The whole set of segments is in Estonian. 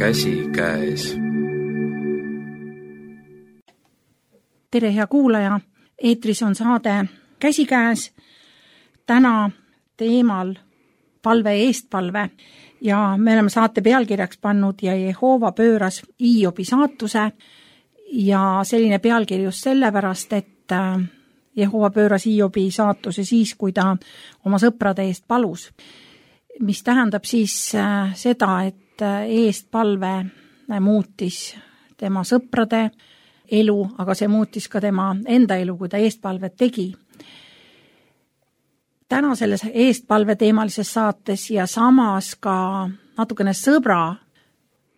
käsikäes. Tere, hea kuulaja! Eetris on saade Käsikäes. Täna teemal palve eestpalve ja me oleme saate pealkirjaks pannud ja Jehova pööras Hiobi saatuse ja selline pealkiri just sellepärast, et Jehova pööras Hiobi saatuse siis, kui ta oma sõprade eest palus. Mis tähendab siis seda, et eestpalve muutis tema sõprade elu, aga see muutis ka tema enda elu, kui ta eestpalvet tegi. Täna selles eestpalve teemalises saates ja samas ka natukene sõbra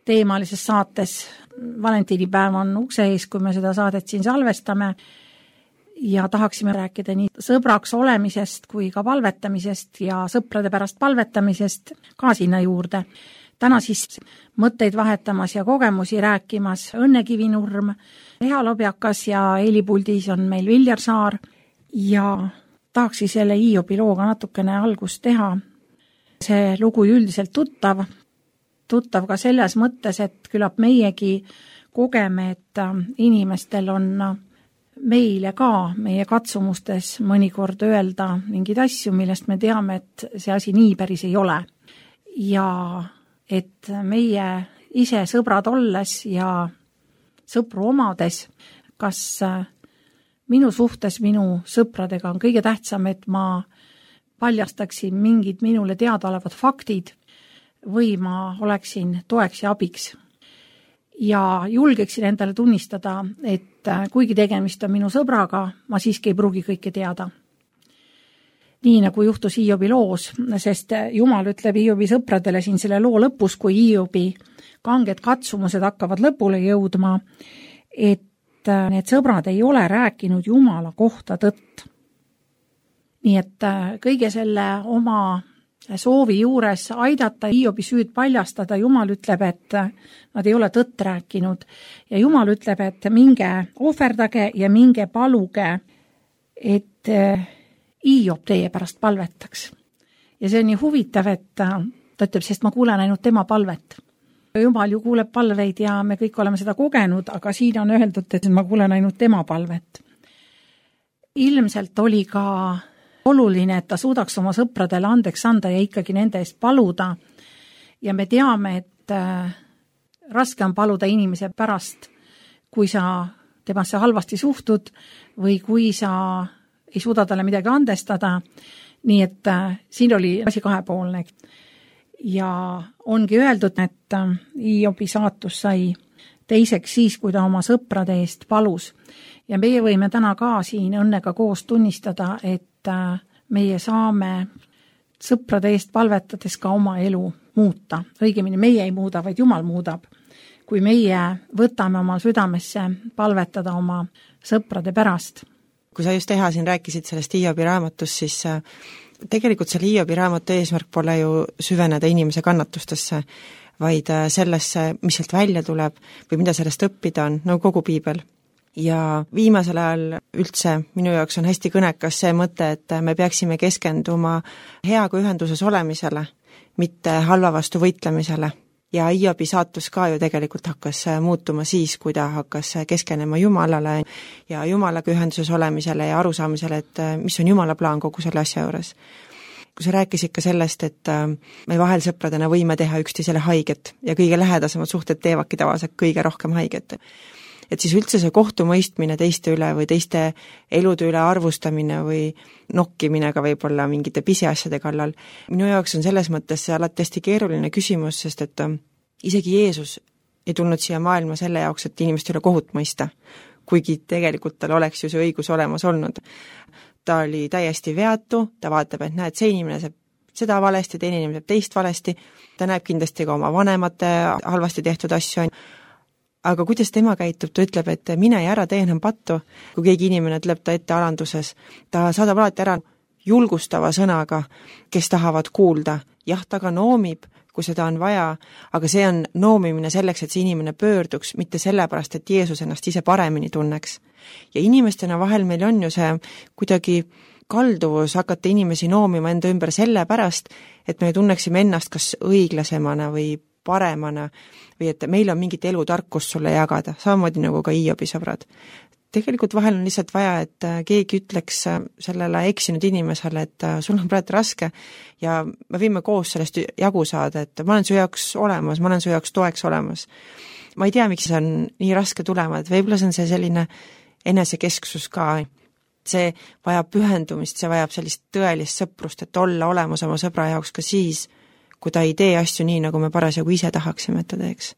teemalises saates, valentiinipäev on ukse ees, kui me seda saadet siin salvestame ja tahaksime rääkida nii sõbraks olemisest kui ka palvetamisest ja sõprade pärast palvetamisest ka sinna juurde. Täna siis mõtteid vahetamas ja kogemusi rääkimas Õnne Kivinurm, Eha Lobjakas ja helipuldis on meil Viljar Saar ja tahakski selle Hiobi looga natukene algust teha. See lugu üldiselt tuttav ka selles mõttes, et küllap meiegi kogeme, et inimestel on meile ka meie katsumustes mõnikord öelda mingeid asju, millest me teame, et see asi nii päris ei ole. Ja et meie ise sõbrad olles ja sõpru omades, kas minu suhtes minu sõpradega on kõige tähtsam, et ma paljastaksin mingid minule teadaolevad faktid või ma oleksin toeks ja abiks. Ja julgeksin endale tunnistada, et kuigi tegemist on minu sõbraga, ma siiski ei pruugi kõike teada. Nii nagu juhtus Hiobi loos, sest Jumal ütleb Hiobi sõpradele siin selle loo lõpus, kui Hiobi kanged katsumused hakkavad lõpule jõudma, et need sõbrad ei ole rääkinud Jumala kohta tõtt. Nii et kõige selle oma soovi juures aidata Hiobi süüd paljastada, Jumal ütleb, et nad ei ole tõtt rääkinud. Ja Jumal ütleb, et minge ohverdage ja minge paluge, et Hiob teie pärast palvetaks. Ja see on nii huvitav, et ta ütleb, sest ma kuulen ainult tema palvet. Jumal ju kuuleb palveid ja me kõik oleme seda kogenud, aga siin on öeldud, et ma kuulen ainult tema palvet. Ilmselt oli ka oluline, et ta suudaks oma sõpradele andeks anda ja ikkagi nende eest paluda. Ja me teame, et raske on paluda inimese pärast, kui sa temasse halvasti suhtud või kui sa ei suuda talle midagi andestada. Nii et siin oli asi kahepoolne. Ja ongi öeldud, et Hiobi saatus sai teiseks siis, kui ta oma sõprade eest palus. Ja meie võime täna ka siin Õnnega koos tunnistada, et meie saame sõprade eest palvetades ka oma elu muuta. Õigemini meie ei muuda, vaid Jumal muudab. Kui meie võtame oma südamesse palvetada oma sõprade pärast. Kui sa just Eha siin rääkisid sellest Hiobi raamatust, siis tegelikult selle Hiobi raamatu eesmärk pole ju süveneda inimese kannatustesse, vaid sellesse, mis sealt välja tuleb või mida sellest õppida on, nagu kogu piibel. Ja viimasel ajal üldse minu jaoks on hästi kõnekas see mõte, et me peaksime keskenduma heaga ühenduses olemisele, mitte halva vastu võitlemisele. Ja Hiobi saatus ka ju tegelikult hakkas muutuma siis, kui ta hakkas keskenema Jumalale ja Jumalaga ühenduses olemisele ja arusaamisele, et mis on Jumala plaan kogu selle asja juures. Kui sa rääkisid ka sellest, et me vahel sõpradena võime teha üksteisele haiget ja kõige lähedasemad suhted teevadki tavaliselt kõige rohkem haiget. Et siis üldse see kohtumõistmine teiste üle või teiste elude üle arvustamine või nokkimine ka võib-olla mingite pisiasjade kallal. Minu jaoks on selles mõttes see alati hästi keeruline küsimus, sest et isegi Jeesus ei tulnud siia maailma selle jaoks, et inimeste üle kohut mõista, kuigi tegelikult tal oleks ju see õigus olemas olnud. Ta oli täiesti veatu, ta vaatab, et näed, see inimene saab seda valesti, teine inimene saab teist valesti, ta näeb kindlasti ka oma vanemate halvasti tehtud asju. Aga kuidas tema käitub, ta ütleb, et mine ja ära tee enam pattu. Kui keegi inimene ütleb ta ette alanduses, ta saadab alati ära julgustava sõnaga, kes tahavad kuulda. Jah, ta ka noomib, kui seda on vaja, aga see on noomimine selleks, et see inimene pöörduks, mitte sellepärast, et Jeesus ennast ise paremini tunneks. Ja inimestena vahel meil on ju see kuidagi kalduvus hakata inimesi noomima enda ümber sellepärast, et me tunneksime ennast kas õiglasemana või paremana või et meil on mingit elutarkust sulle jagada, samamoodi nagu ka Hiobi sõbrad. Tegelikult vahel on lihtsalt vaja, et keegi ütleks sellele eksinud inimesele, et sul on praegu raske ja me võime koos sellest jagu saada, et ma olen su jaoks olemas, ma olen su jaoks toeks olemas. Ma ei tea, miks see on nii raske tulema, et võib-olla see on see selline enesekesksus ka. See vajab pühendumist, see vajab sellist tõelist sõprust, et olla olemas oma sõbra jaoks ka siis, kui ta ei tee asju nii, nagu me parasjagu ise tahaksime, et ta teeks.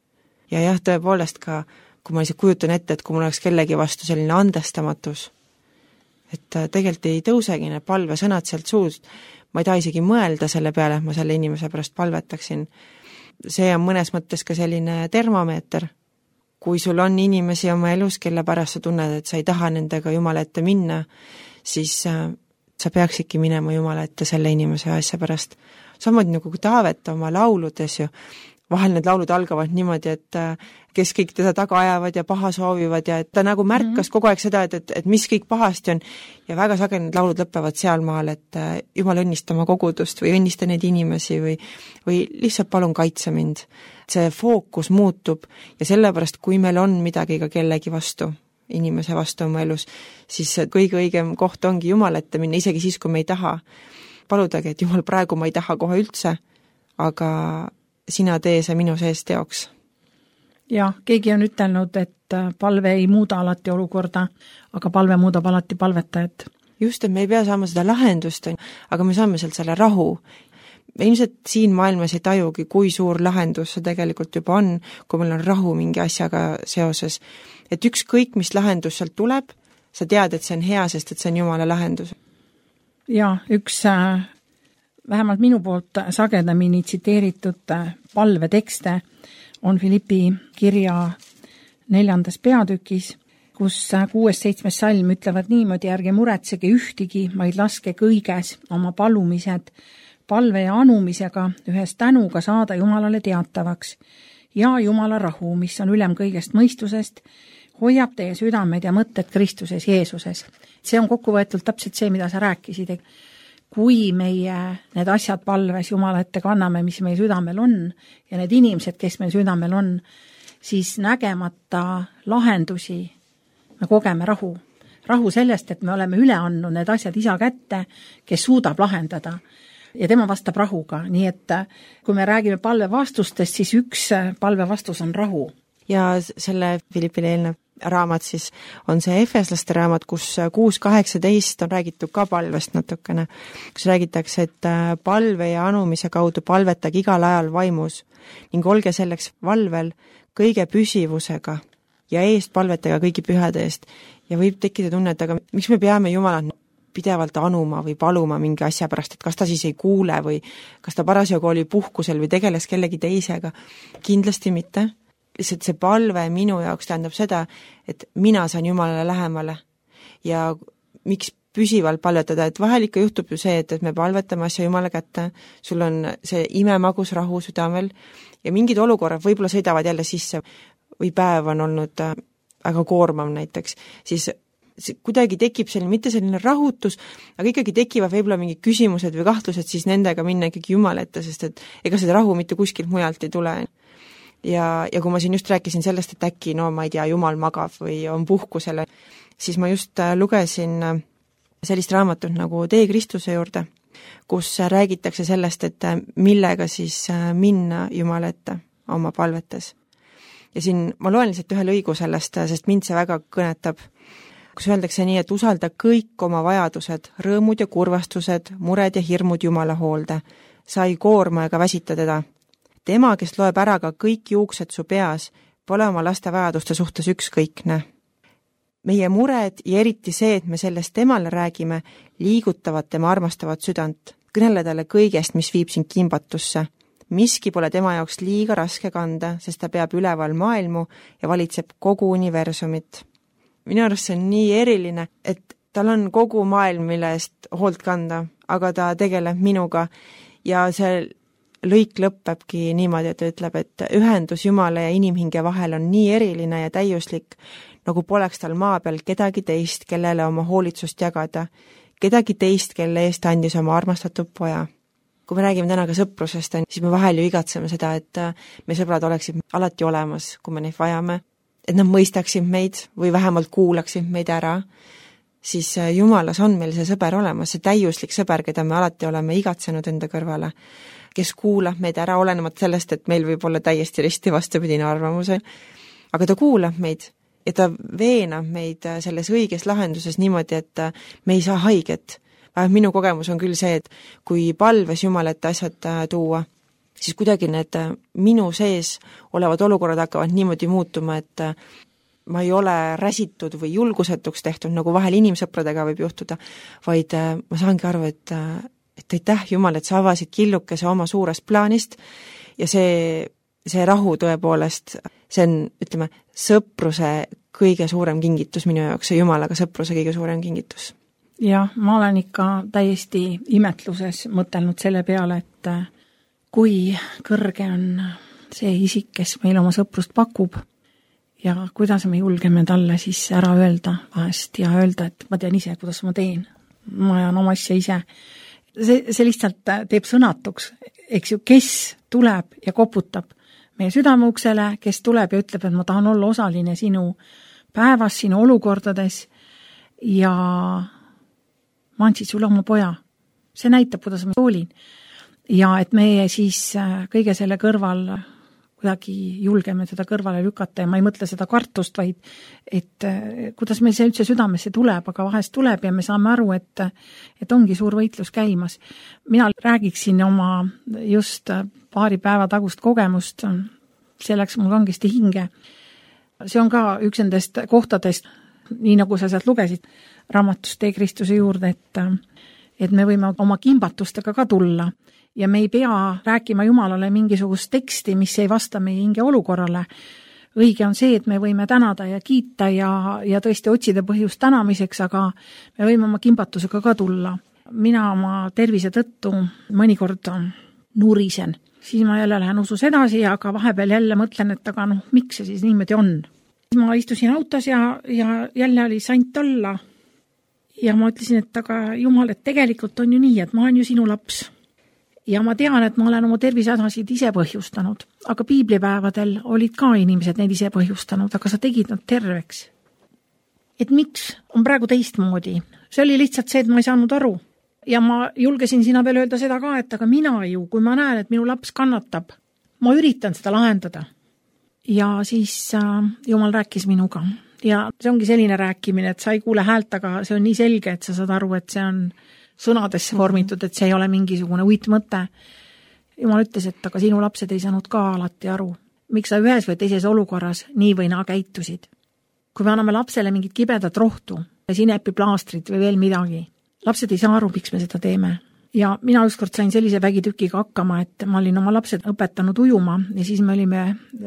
Ja jah, tõepoolest ka kui ma lihtsalt kujutan ette, et kui mul oleks kellegi vastu selline andestamatus, et tegelikult ei tõusegi need palvesõnad sealt suust, ma ei taha isegi mõelda selle peale, et ma selle inimese pärast palvetaksin. See on mõnes mõttes ka selline termomeeter. Kui sul on inimesi oma elus, kelle pärast sa tunned, et sa ei taha nendega Jumala ette minna, siis sa peaksidki minema Jumala ette selle inimese asja pärast. Samamoodi nagu Taavet oma lauludes ju, vahel need laulud algavad niimoodi, et kes kõik teda taga ajavad ja paha soovivad ja et ta nagu märkas kogu aeg seda, et mis kõik pahasti on ja väga sageli need laulud lõpevad sealmaal, et Jumal õnnista oma kogudust või õnnista neid inimesi või lihtsalt palun kaitse mind. See fookus muutub ja sellepärast, kui meil on midagi ka kellegi vastu, inimese vastu oma elus, siis kõige õigem koht ongi Jumal ette minna, isegi siis, kui me ei taha. Paludagi, et Jumal, praegu ma ei taha kohe üldse, aga sina tee see minu sees teoks. Ja, keegi on ütelnud, et palve ei muuda alati olukorda, aga palve muudab alati palvetajat. Just, et me ei pea saama seda lahendust, aga me saame sealt selle rahu. Me ilmselt siin maailmas ei tajugi, kui suur lahendus see tegelikult juba on, kui meil on rahu mingi asjaga seoses. Et ükskõik, mis lahendus sealt tuleb, sa tead, et see on hea, sest et see on Jumala lahendus. Ja, üks vähemalt minu poolt sagedamini tsiteeritud palvetekste on Filippi kirja 4. peatükis, kus 6-7 salm ütlevad niimoodi, ärge muretsege ühtigi, vaid laske kõiges oma palumised palve ja anumisega ühes tänuga saada Jumalale teatavaks ja Jumala rahu, mis on ülem kõigest mõistusest, hoiab teie südamed ja mõtted Kristuses Jeesuses. See on kokkuvõetult täpselt see, mida sa rääkisid. Kui meie need asjad palves Jumala ette kanname, mis meil südamel on, ja need inimesed, kes meil südamel on, siis nägemata lahendusi me kogeme rahu. Rahu sellest, et me oleme üle andnud need asjad isa kätte, kes suudab lahendada. Ja tema vastab rahuga. Nii et kui me räägime palve vastustest, siis üks palve vastus on rahu. Ja selle Filippile eelnev raamat siis on see Efeslaste raamat, kus 6.18 on räägitud ka palvest natukene, kus räägitakse, et palve ja anumise kaudu palvetage igal ajal vaimus ning olge selleks valvel kõige püsivusega ja eest palvetage kõigi pühade eest. Ja võib tekkida tunne, et aga miks me peame Jumalat pidevalt anuma või paluma mingi asja pärast, et kas ta siis ei kuule või kas ta parasjagu oli puhkusel või tegeles kellegi teisega. Kindlasti mitte. Lihtsalt see palve minu jaoks tähendab seda, et mina saan Jumalale lähemale ja miks püsivalt palvetada, et vahel ikka juhtub ju see, et me palvetame asja Jumala kätte, sul on see imemagus rahu südamel ja mingid olukorrad võib-olla sõidavad jälle sisse või päev on olnud väga koormav näiteks, siis kuidagi tekib selline, mitte selline rahutus, aga ikkagi tekivad võib-olla mingid küsimused või kahtlused, siis nendega minna ikkagi Jumala ette, sest et ega seda rahu mitte kuskilt mujalt ei tule. Ja kui ma siin just rääkisin sellest, et äkki, ma ei tea, Jumal magab või on puhkusele, siis ma just lugesin sellist raamatut nagu Tee Kristuse juurde, kus räägitakse sellest, et millega siis minna Jumala ette oma palvetes. Ja siin ma loen lihtsalt ühe lõigu sellest, sest mind see väga kõnetab, kus öeldakse nii, et usalda kõik oma vajadused, rõõmud ja kurvastused, mured ja hirmud Jumala hoolde. Sa ei koorma ega väsita teda. Tema, kes loeb ära ka kõik juuksed su peas, pole oma laste vajaduste suhtes ükskõikne. Meie mured ja eriti see, et me sellest temale räägime, liigutavad tema armastavat südant. Kõnele talle kõigest, mis viib sind kimbatusse. Miski pole tema jaoks liiga raske kanda, sest ta peab üleval maailmu ja valitseb kogu universumit. Minu arust see on nii eriline, et tal on kogu maailm, mille eest hoolt kanda, aga ta tegeleb minuga ja see lõik lõppebki niimoodi, et ta ütleb, et ühendus Jumala ja inimhinge vahel on nii eriline ja täiuslik, nagu poleks tal maa peal kedagi teist, kellele oma hoolitsust jagada, kedagi teist, kelle eest andis oma armastatud poja. kui me räägime täna ka sõprusest, siis me vahel ju igatseme seda, et meie sõbrad oleksid alati olemas, kui me neid vajame, et nad mõistaksid meid või vähemalt kuulaksid meid ära, siis Jumalas on meil see sõber olemas, see täiuslik sõber, keda me alati oleme igatsenud enda kõrvale, kes kuulab meid ära, olenemata sellest, et meil võib olla täiesti risti vastupidine arvamus, aga ta kuulab meid ja ta veenab meid selles õiges lahenduses niimoodi, et me ei saa haiget. Minu kogemus on küll see, et kui palves Jumal ette asjad tuua, siis kuidagi need minu sees olevad olukorrad hakkavad niimoodi muutuma, et ma ei ole räsitud või julgusetuks tehtud, nagu vahel inimsõpradega võib juhtuda, vaid ma saangi aru, et aitäh Jumal, et sa avasid killukese oma suurest plaanist ja see rahu tõepoolest, see on, ütleme, sõpruse kõige suurem kingitus minu jaoks, see Jumalaga sõpruse kõige suurem kingitus. Jah, ma olen ikka täiesti imetluses mõtelnud selle peale, et kui kõrge on see isik, kes meil oma sõprust pakub ja kuidas me julgeme talle siis ära öelda vahest ja öelda, et ma tean ise, kuidas ma teen. Ma ajan oma asja ise. See lihtsalt teeb sõnatuks, eks ju, kes tuleb ja koputab meie südameuksele, kes tuleb ja ütleb, et ma tahan olla osaline sinu päevas, sinu olukordades ja ma andsid sulle oma poja. See näitab, kuidas ma hoolin. Ja et meie siis kõige selle kõrval kuidagi julgeme teda kõrvale lükata ja ma ei mõtle seda kartust, vaid et kuidas meil see üldse südamesse tuleb, aga vahest tuleb ja me saame aru, et ongi suur võitlus käimas. Mina räägiksin oma just paari päeva tagust kogemust, see läks mul kangesti hinge. See on ka üks nendest kohtadest, nii nagu sa sealt lugesid raamatust Tee Kristuse juurde, et me võime oma kimbatustega ka tulla ja me ei pea rääkima Jumalale mingisugust teksti, mis ei vasta meie hinge olukorrale. Õige on see, et me võime tänada ja kiita ja tõesti otsida põhjust tänamiseks, aga me võime oma kimbatusega ka tulla. Mina oma tervise tõttu mõnikord nurisen. Siis ma jälle lähen usus edasi, aga vahepeal jälle mõtlen, et aga miks see siis niimoodi on. Ma istusin autos ja jälle oli sant olla ja ma ütlesin, et aga Jumal, et tegelikult on ju nii, et ma olen ju sinu laps ja ma tean, et ma olen oma tervisehädasid ise põhjustanud, aga piiblipäevadel olid ka inimesed neid ise põhjustanud, aga sa tegid nad terveks. Et miks on praegu teistmoodi? See oli lihtsalt see, et ma ei saanud aru ja ma julgesin sina veel öelda seda ka, et aga mina ju, kui ma näen, et minu laps kannatab, ma üritan seda lahendada. Ja siis Jumal rääkis minuga ja see ongi selline rääkimine, et sa ei kuule häält, aga see on nii selge, et sa saad aru, et see on sõnadesse vormitud, et see ei ole mingisugune uitmõte. Jumal ütles, et aga sinu lapsed ei saanud ka alati aru, miks sa ühes või teises olukorras nii või naa käitusid. Kui me anname lapsele mingit kibedat rohtu, sinepiplaastrit või veel midagi, lapsed ei saa aru, miks me seda teeme. Ja mina ükskord sain sellise vägitükiga hakkama, et ma olin oma lapsed õpetanud ujuma ja siis me olime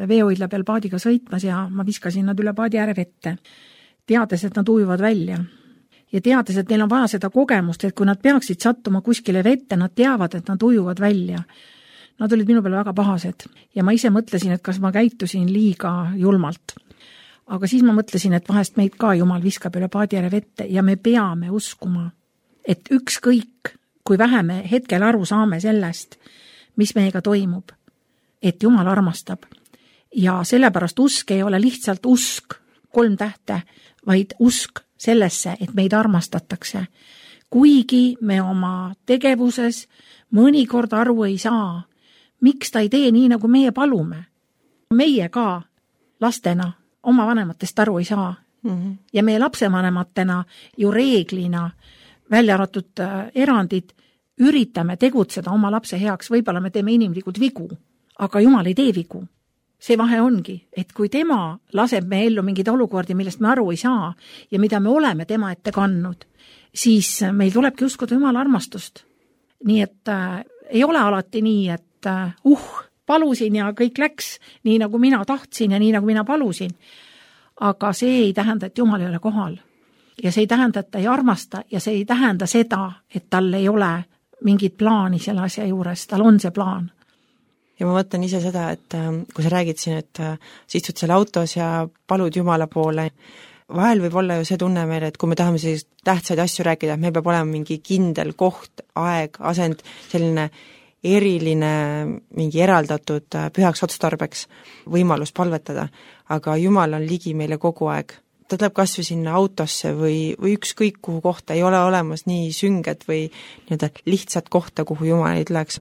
veehoidla peal paadiga sõitmas ja ma viskasin nad üle paadi ääre vette, teades, et nad ujuvad välja. Ja teades, et neil on vaja seda kogemust, et kui nad peaksid sattuma kuskile vette, nad teavad, et nad ujuvad välja. Nad olid minu peale väga pahased ja ma ise mõtlesin, et kas ma käitusin liiga julmalt. Aga siis ma mõtlesin, et vahest meid ka Jumal viskab üle paadi ääre vette ja me peame uskuma, et ükskõik kui vähe me hetkel aru saame sellest, mis meiega toimub, et Jumal armastab. Ja sellepärast usk ei ole lihtsalt usk 3 tähte, vaid usk sellesse, et meid armastatakse. Kuigi me oma tegevuses mõnikord aru ei saa, miks ta ei tee nii, nagu meie palume. Meie ka lastena oma vanematest aru ei saa. Ja meie lapsevanematena ju reeglina välja arvatud erandid, üritame tegutseda oma lapse heaks, võib-olla me teeme inimlikud vigu, aga Jumal ei tee vigu. See vahe ongi, et kui tema laseb me ellu mingid olukordi, millest me aru ei saa ja mida me oleme tema ette kannud, siis meil tulebki uskuda Jumala armastust. Nii et ei ole alati nii, et palusin ja kõik läks nii, nagu mina tahtsin ja nii, nagu mina palusin. Aga see ei tähenda, et Jumal ei ole kohal. Ja see ei tähenda, et ta ei armasta ja see ei tähenda seda, et tal ei ole mingit plaani selle asja juures, tal on see plaan. Ja ma mõtlen ise seda, et kui sa räägid siin, et sa istud seal autos ja palud Jumala poole, vahel võib olla ju see tunne meil, et kui me tahame sellist tähtsaid asju rääkida, et meil peab olema mingi kindel koht, aeg, asend, selline eriline, mingi eraldatud pühaks otstarbeks võimalus palvetada, aga Jumal on ligi meile kogu aeg. Ta tuleb kas või sinna autosse või ükskõik kuhu kohta, ei ole olemas nii sünget või nii-öelda lihtsat kohta, kuhu Jumal ei tuleks.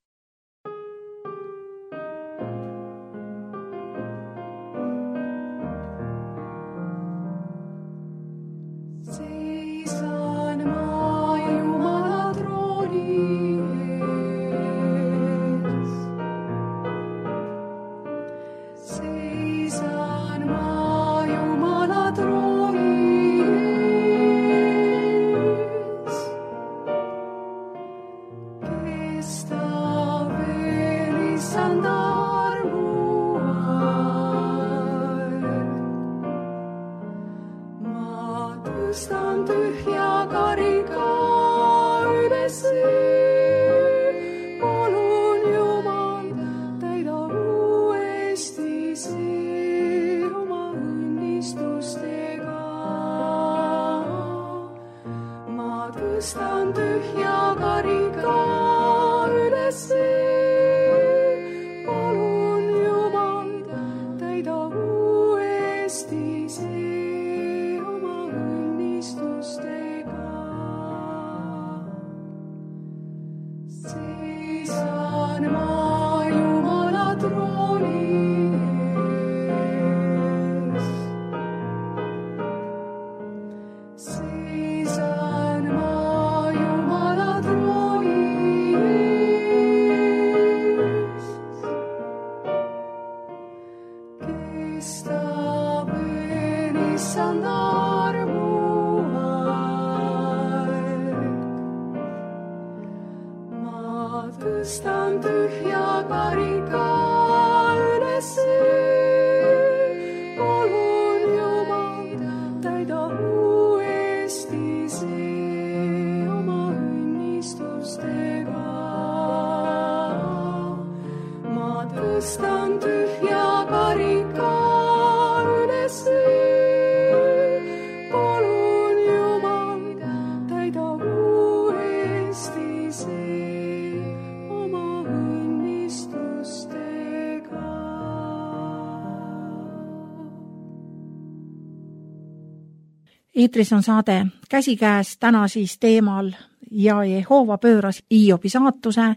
Eetris on saade Käsikäes, täna siis teemal ja Jehoova pööras Hiobi saatuse,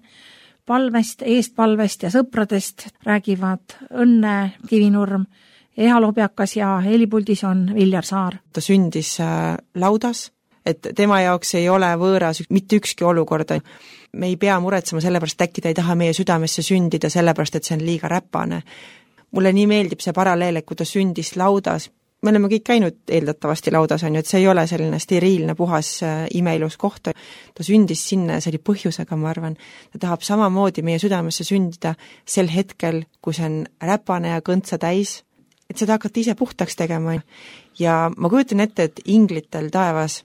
palvest, eestpalvest ja sõpradest räägivad Õnne Kivinurm, Eha Lobjakas ja helipuldis on Viljar Saar. Ta sündis laudas, et tema jaoks ei ole võõras mitte ükski olukorda. Me ei pea muretsema sellepärast, et äkki ta ei taha meie südamesse sündida sellepärast, et see on liiga räpane. Mulle nii meeldib see paralleel, et kui ta sündis laudas, me oleme kõik käinud eeldatavasti laudas, on ju, et see ei ole selline steriilne, puhas, imeilus koht. Ta sündis sinna ja see oli põhjusega, ma arvan. Ta tahab samamoodi meie südamesse sündida sel hetkel, kui see on räpane ja kõntsa täis, et seda hakata ise puhtaks tegema. Ja ma kujutan ette, et inglitel taevas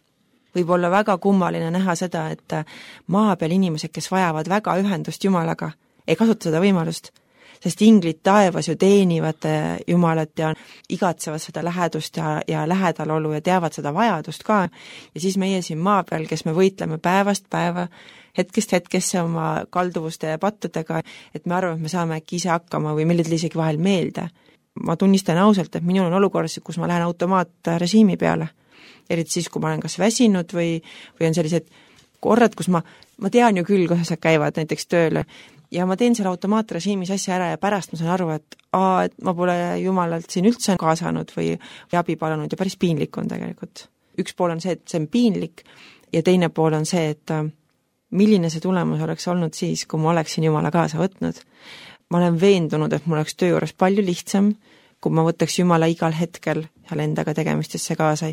võib olla väga kummaline näha seda, et maa peal inimesed, kes vajavad väga ühendust Jumalaga, ei kasuta seda võimalust. Sest inglid taevas ju teenivad Jumalat ja igatsevad seda lähedust ja lähedalolu ja teavad seda vajadust ka. Ja siis meie siin maa peal, kes me võitleme päevast päeva, hetkest hetkesse oma kalduvuste ja pattudega, et me arvame, et me saame äkki ise hakkama või meil isegi vahel meelde. Ma tunnistan ausalt, et minul on olukorras, kus ma lähen automaatrežiimi peale. Eriti siis, kui ma olen kas väsinud või on sellised korrad, kus ma tean ju küll, kuidas nad käivad näiteks tööle, ja ma teen selle automaatrežiimis asja ära ja pärast ma saan aru, et ma pole Jumalalt siin üldse kaasanud või abi palunud ja päris piinlik on tegelikult. Üks pool on see, et see on piinlik ja teine pool on see, et milline see tulemus oleks olnud siis, kui ma oleksin Jumala kaasa võtnud. Ma olen veendunud, et mul oleks töö juures palju lihtsam, kui ma võtaks Jumala igal hetkel seal endaga tegemistesse kaasa,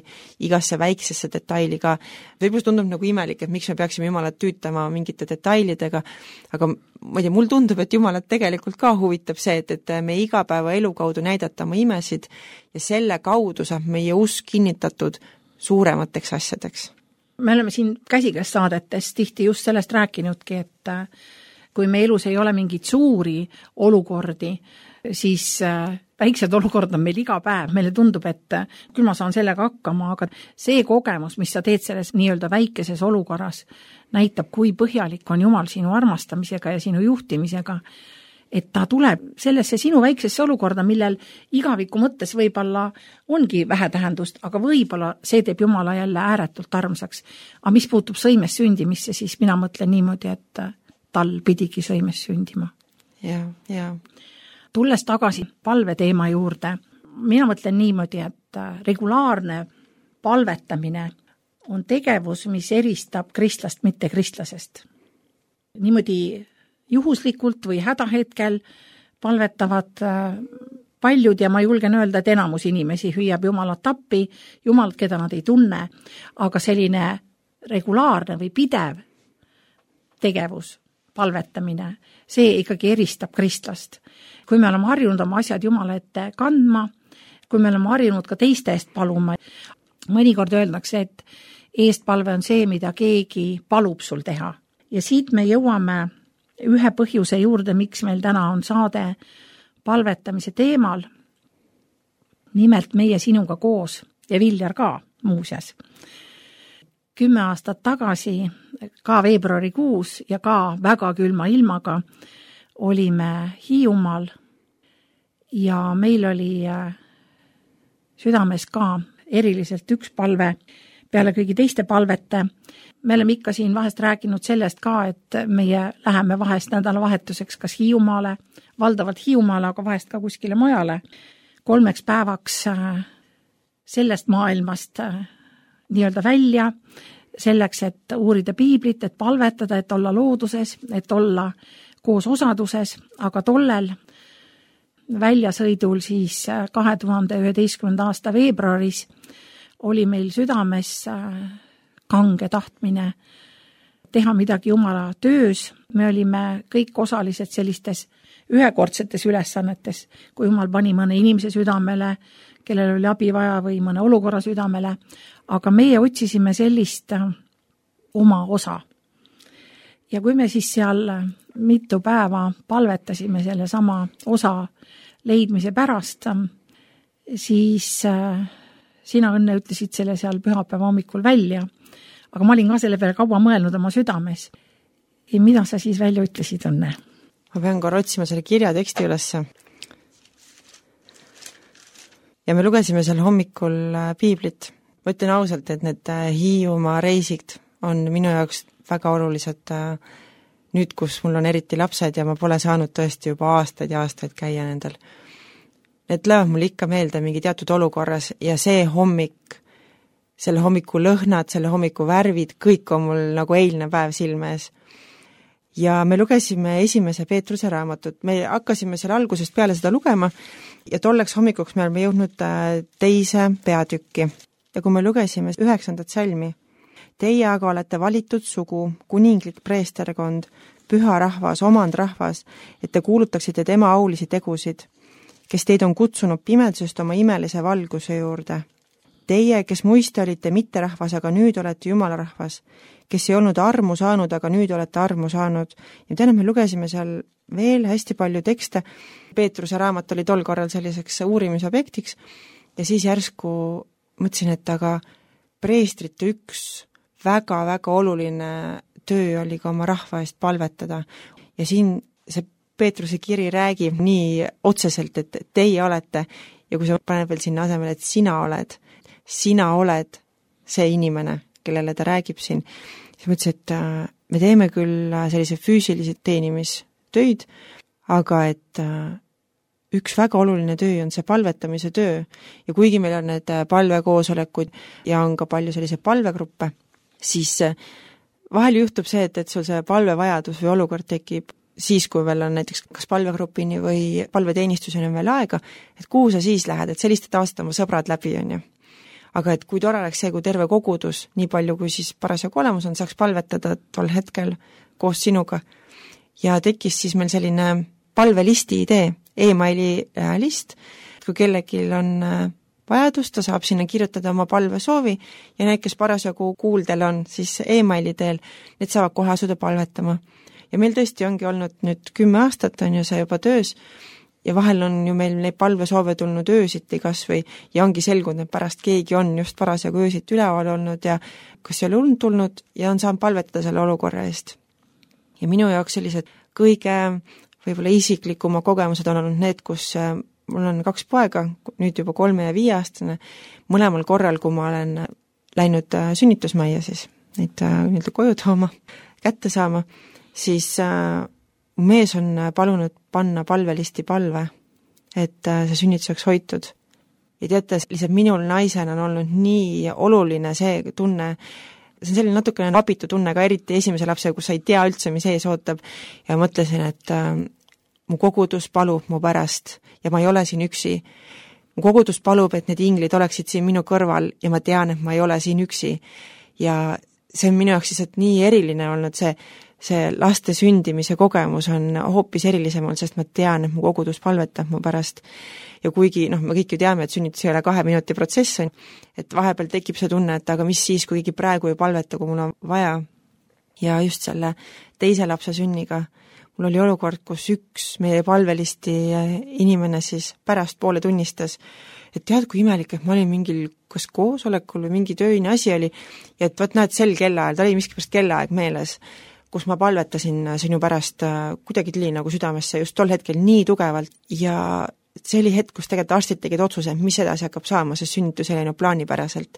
igasse väiksesse detaili ka. Võib-olla tundub nagu imelik, et miks me peaksime Jumalat tüütama mingite detailidega, aga ma ei tea, mul tundub, et Jumalat tegelikult ka huvitab see, et me igapäeva elu kaudu näidata oma imesid ja selle kaudu saab meie usk kinnitatud suuremateks asjadeks. Me oleme siin Käsikäes saadetes tihti just sellest rääkinudki, kui me elus ei ole mingeid suuri olukordi, siis väiksed olukord on meil iga päev, meile tundub, et küll ma saan sellega hakkama, aga see kogemus, mis sa teed selles nii-öelda väikeses olukorras, näitab, kui põhjalik on Jumal sinu armastamisega ja sinu juhtimisega, et ta tuleb sellesse sinu väiksesse olukorda, millel igaviku mõttes võib-olla ongi vähetähendust, aga võib-olla see teeb Jumala jälle ääretult armsaks. Aga mis puutub sõimes sündimisse, siis mina mõtlen niimoodi, et tal pidigi sõimes sündima. Ja. Tulles tagasi palveteema juurde, mina mõtlen niimoodi, et regulaarne palvetamine on tegevus, mis eristab kristlast mitte kristlasest. Niimoodi juhuslikult või hädahetkel palvetavad paljud ja ma julgen öelda, et enamus inimesi hüüab Jumalat appi, Jumalat, keda nad ei tunne, aga selline regulaarne või pidev tegevus, palvetamine, see ikkagi eristab kristlast. Kui me oleme harjunud oma asjad Jumala ette kandma, kui me oleme harjunud ka teiste eest paluma, mõnikord öeldakse, et eestpalve on see, mida keegi palub sul teha. Ja siit me jõuame ühe põhjuse juurde, miks meil täna on saade palvetamise teemal, nimelt meie sinuga koos ja Viljar ka muuseas. 10 aastat tagasi, ka veebruarikuus ja ka väga külma ilmaga olime Hiiumaal ja meil oli südames ka eriliselt üks palve peale kõigi teiste palvete. Me oleme ikka siin vahest rääkinud sellest ka, et meie läheme vahest nädalavahetuseks kas Hiiumaale, valdavalt Hiiumaale, aga vahest ka kuskile mujale, 3 päevaks sellest maailmast nii-öelda välja, selleks, et uurida piiblit, et palvetada, et olla looduses, et olla koos osaduses, aga tollel väljasõidul siis 2011. aasta veebruaris oli meil südames kange tahtmine teha midagi Jumala töös. Me olime kõik osalised sellistes ühekordsetes ülesannetes, kui Jumal pani mõne inimese südamele, kellel oli abi vaja või mõne olukorra südamele, aga meie otsisime sellist oma osa. Ja kui me siis seal mitu päeva palvetasime selle sama osa leidmise pärast, siis sina, Õnne, ütlesid selle seal pühapäeva hommikul välja, aga ma olin ka selle peale kaua mõelnud oma südames. Ja mida sa siis välja ütlesid, Õnne? Ma pean korra otsima selle kirja teksti ülesse. Ja me lugesime seal hommikul piiblit. Ma ütlen ausalt, et need Hiiumaa reisid on minu jaoks väga olulised nüüd, kus mul on eriti lapsed ja ma pole saanud tõesti juba aastaid ja aastaid käia nendel. Need lähevad mul ikka meelde mingi teatud olukorras ja see hommik, selle hommiku lõhnad, selle hommiku värvid, kõik on mul nagu eilne päev silme ees. Ja me lugesime 1. Peetruse raamatut. Me hakkasime selle algusest peale seda lugema ja tolleks hommikuks me oleme jõudnud 2. peatükki. Ja kui me lugesime 9. salmi, teie aga olete valitud sugu, kuninglik preesterkond, püha rahvas, omand rahvas, et te kuulutaksite tema aulisi tegusid, kes teid on kutsunud pimedusest oma imelise valguse juurde. Teie, kes muiste olite mitte rahvas, aga nüüd olete Jumala rahvas, kes ei olnud armu saanud, aga nüüd olete armu saanud. Ja täna me lugesime seal veel hästi palju tekste. Peetruse raamat oli tol korral selliseks uurimisobjektiks ja siis järsku mõtlesin, et aga preestrite üks väga-väga oluline töö oli ka oma rahva eest palvetada. Ja siin see Peetruse kiri räägib nii otseselt, et teie olete ja kui sa paned veel sinna asemel, et sina oled see inimene, kellele ta räägib siin, siis mõtlesin, et me teeme küll sellise füüsilisi teenimistöid, aga et üks väga oluline töö on see palvetamise töö ja kuigi meil on need palvekoosolekud ja on ka palju sellise palvegruppe, siis vahel juhtub see, et sul see palvevajadus või olukord tekib siis, kui veel on näiteks kas palvegrupini või palveteenistuseni on veel aega, et kuhu sa siis lähed, et selliste aastat oma sõbrad läbi on ju. Aga et kui tore oleks see, kui terve kogudus, nii palju kui siis parasjagu olemus on, saaks palvetada tol hetkel koos sinuga. Ja tekkis siis meil selline palvelisti idee, e-maili list, kui kellelgi on vajadus, ta saab sinna kirjutada oma palvesoovi ja need, kes parasjagu kuuldel on, siis e-maili teel, need saavad kohe asuda palvetama. ja meil tõesti ongi olnud nüüd 10 aastat on ju see juba töös ja vahel on ju meil neid palvesoove tulnud öösiti kas või ja ongi selgunud, et pärast keegi on just parasjagu öösiti üleval olnud ja kas ei ole und tulnud ja on saanud palvetada selle olukorra eest. Ja minu jaoks sellised kõige võib-olla isiklikuma kogemused on olnud need, kus mul on 2 poega, nüüd juba 3 ja 5 aastane, mõlemal korral, kui ma olen läinud sünnitusmajja siis, neid nii-öelda koju tooma, kätte saama, siis mees on palunud panna palvelisti palve, et see sünnitus oleks hoitud. Ja teate, lihtsalt minul naisena on olnud nii oluline see tunne, see on selline natukene abitu tunne ka eriti esimese lapse, kus sa ei tea üldse, mis ees ootab ja mõtlesin, et mu kogudus palub mu pärast ja ma ei ole siin üksi. Mu kogudus palub, et need inglid oleksid siin minu kõrval ja ma tean, et ma ei ole siin üksi. Ja see on minu jaoks lihtsalt nii eriline olnud, see laste sündimise kogemus on hoopis erilisem olnud, sest ma tean, et mu kogudus palvetab mu pärast. Ja kuigi, me kõik ju teame, et sünnitus ei ole 2 minuti protsess, et vahepeal tekib see tunne, et aga mis siis, kuigi praegu ei palveta, kui mul on vaja. Ja just selle teise lapse sünniga mul oli olukord, kus üks meie palvelisti inimene siis pärast poole tunnistas, et tead, kui imelik, et ma olin mingil kas koosolekul või mingi tööine asi oli ja et võt näed sel kellaajal, ta oli miskipärast kellaaeg meeles, kus ma palvetasin sinu pärast kuidagi tuli nagu südamesse just tol hetkel nii tugevalt ja see oli hetk, kus tegelikult arstid tegid otsuse, mis edasi hakkab saama, sest sünnitus ei läinud plaanipäraselt.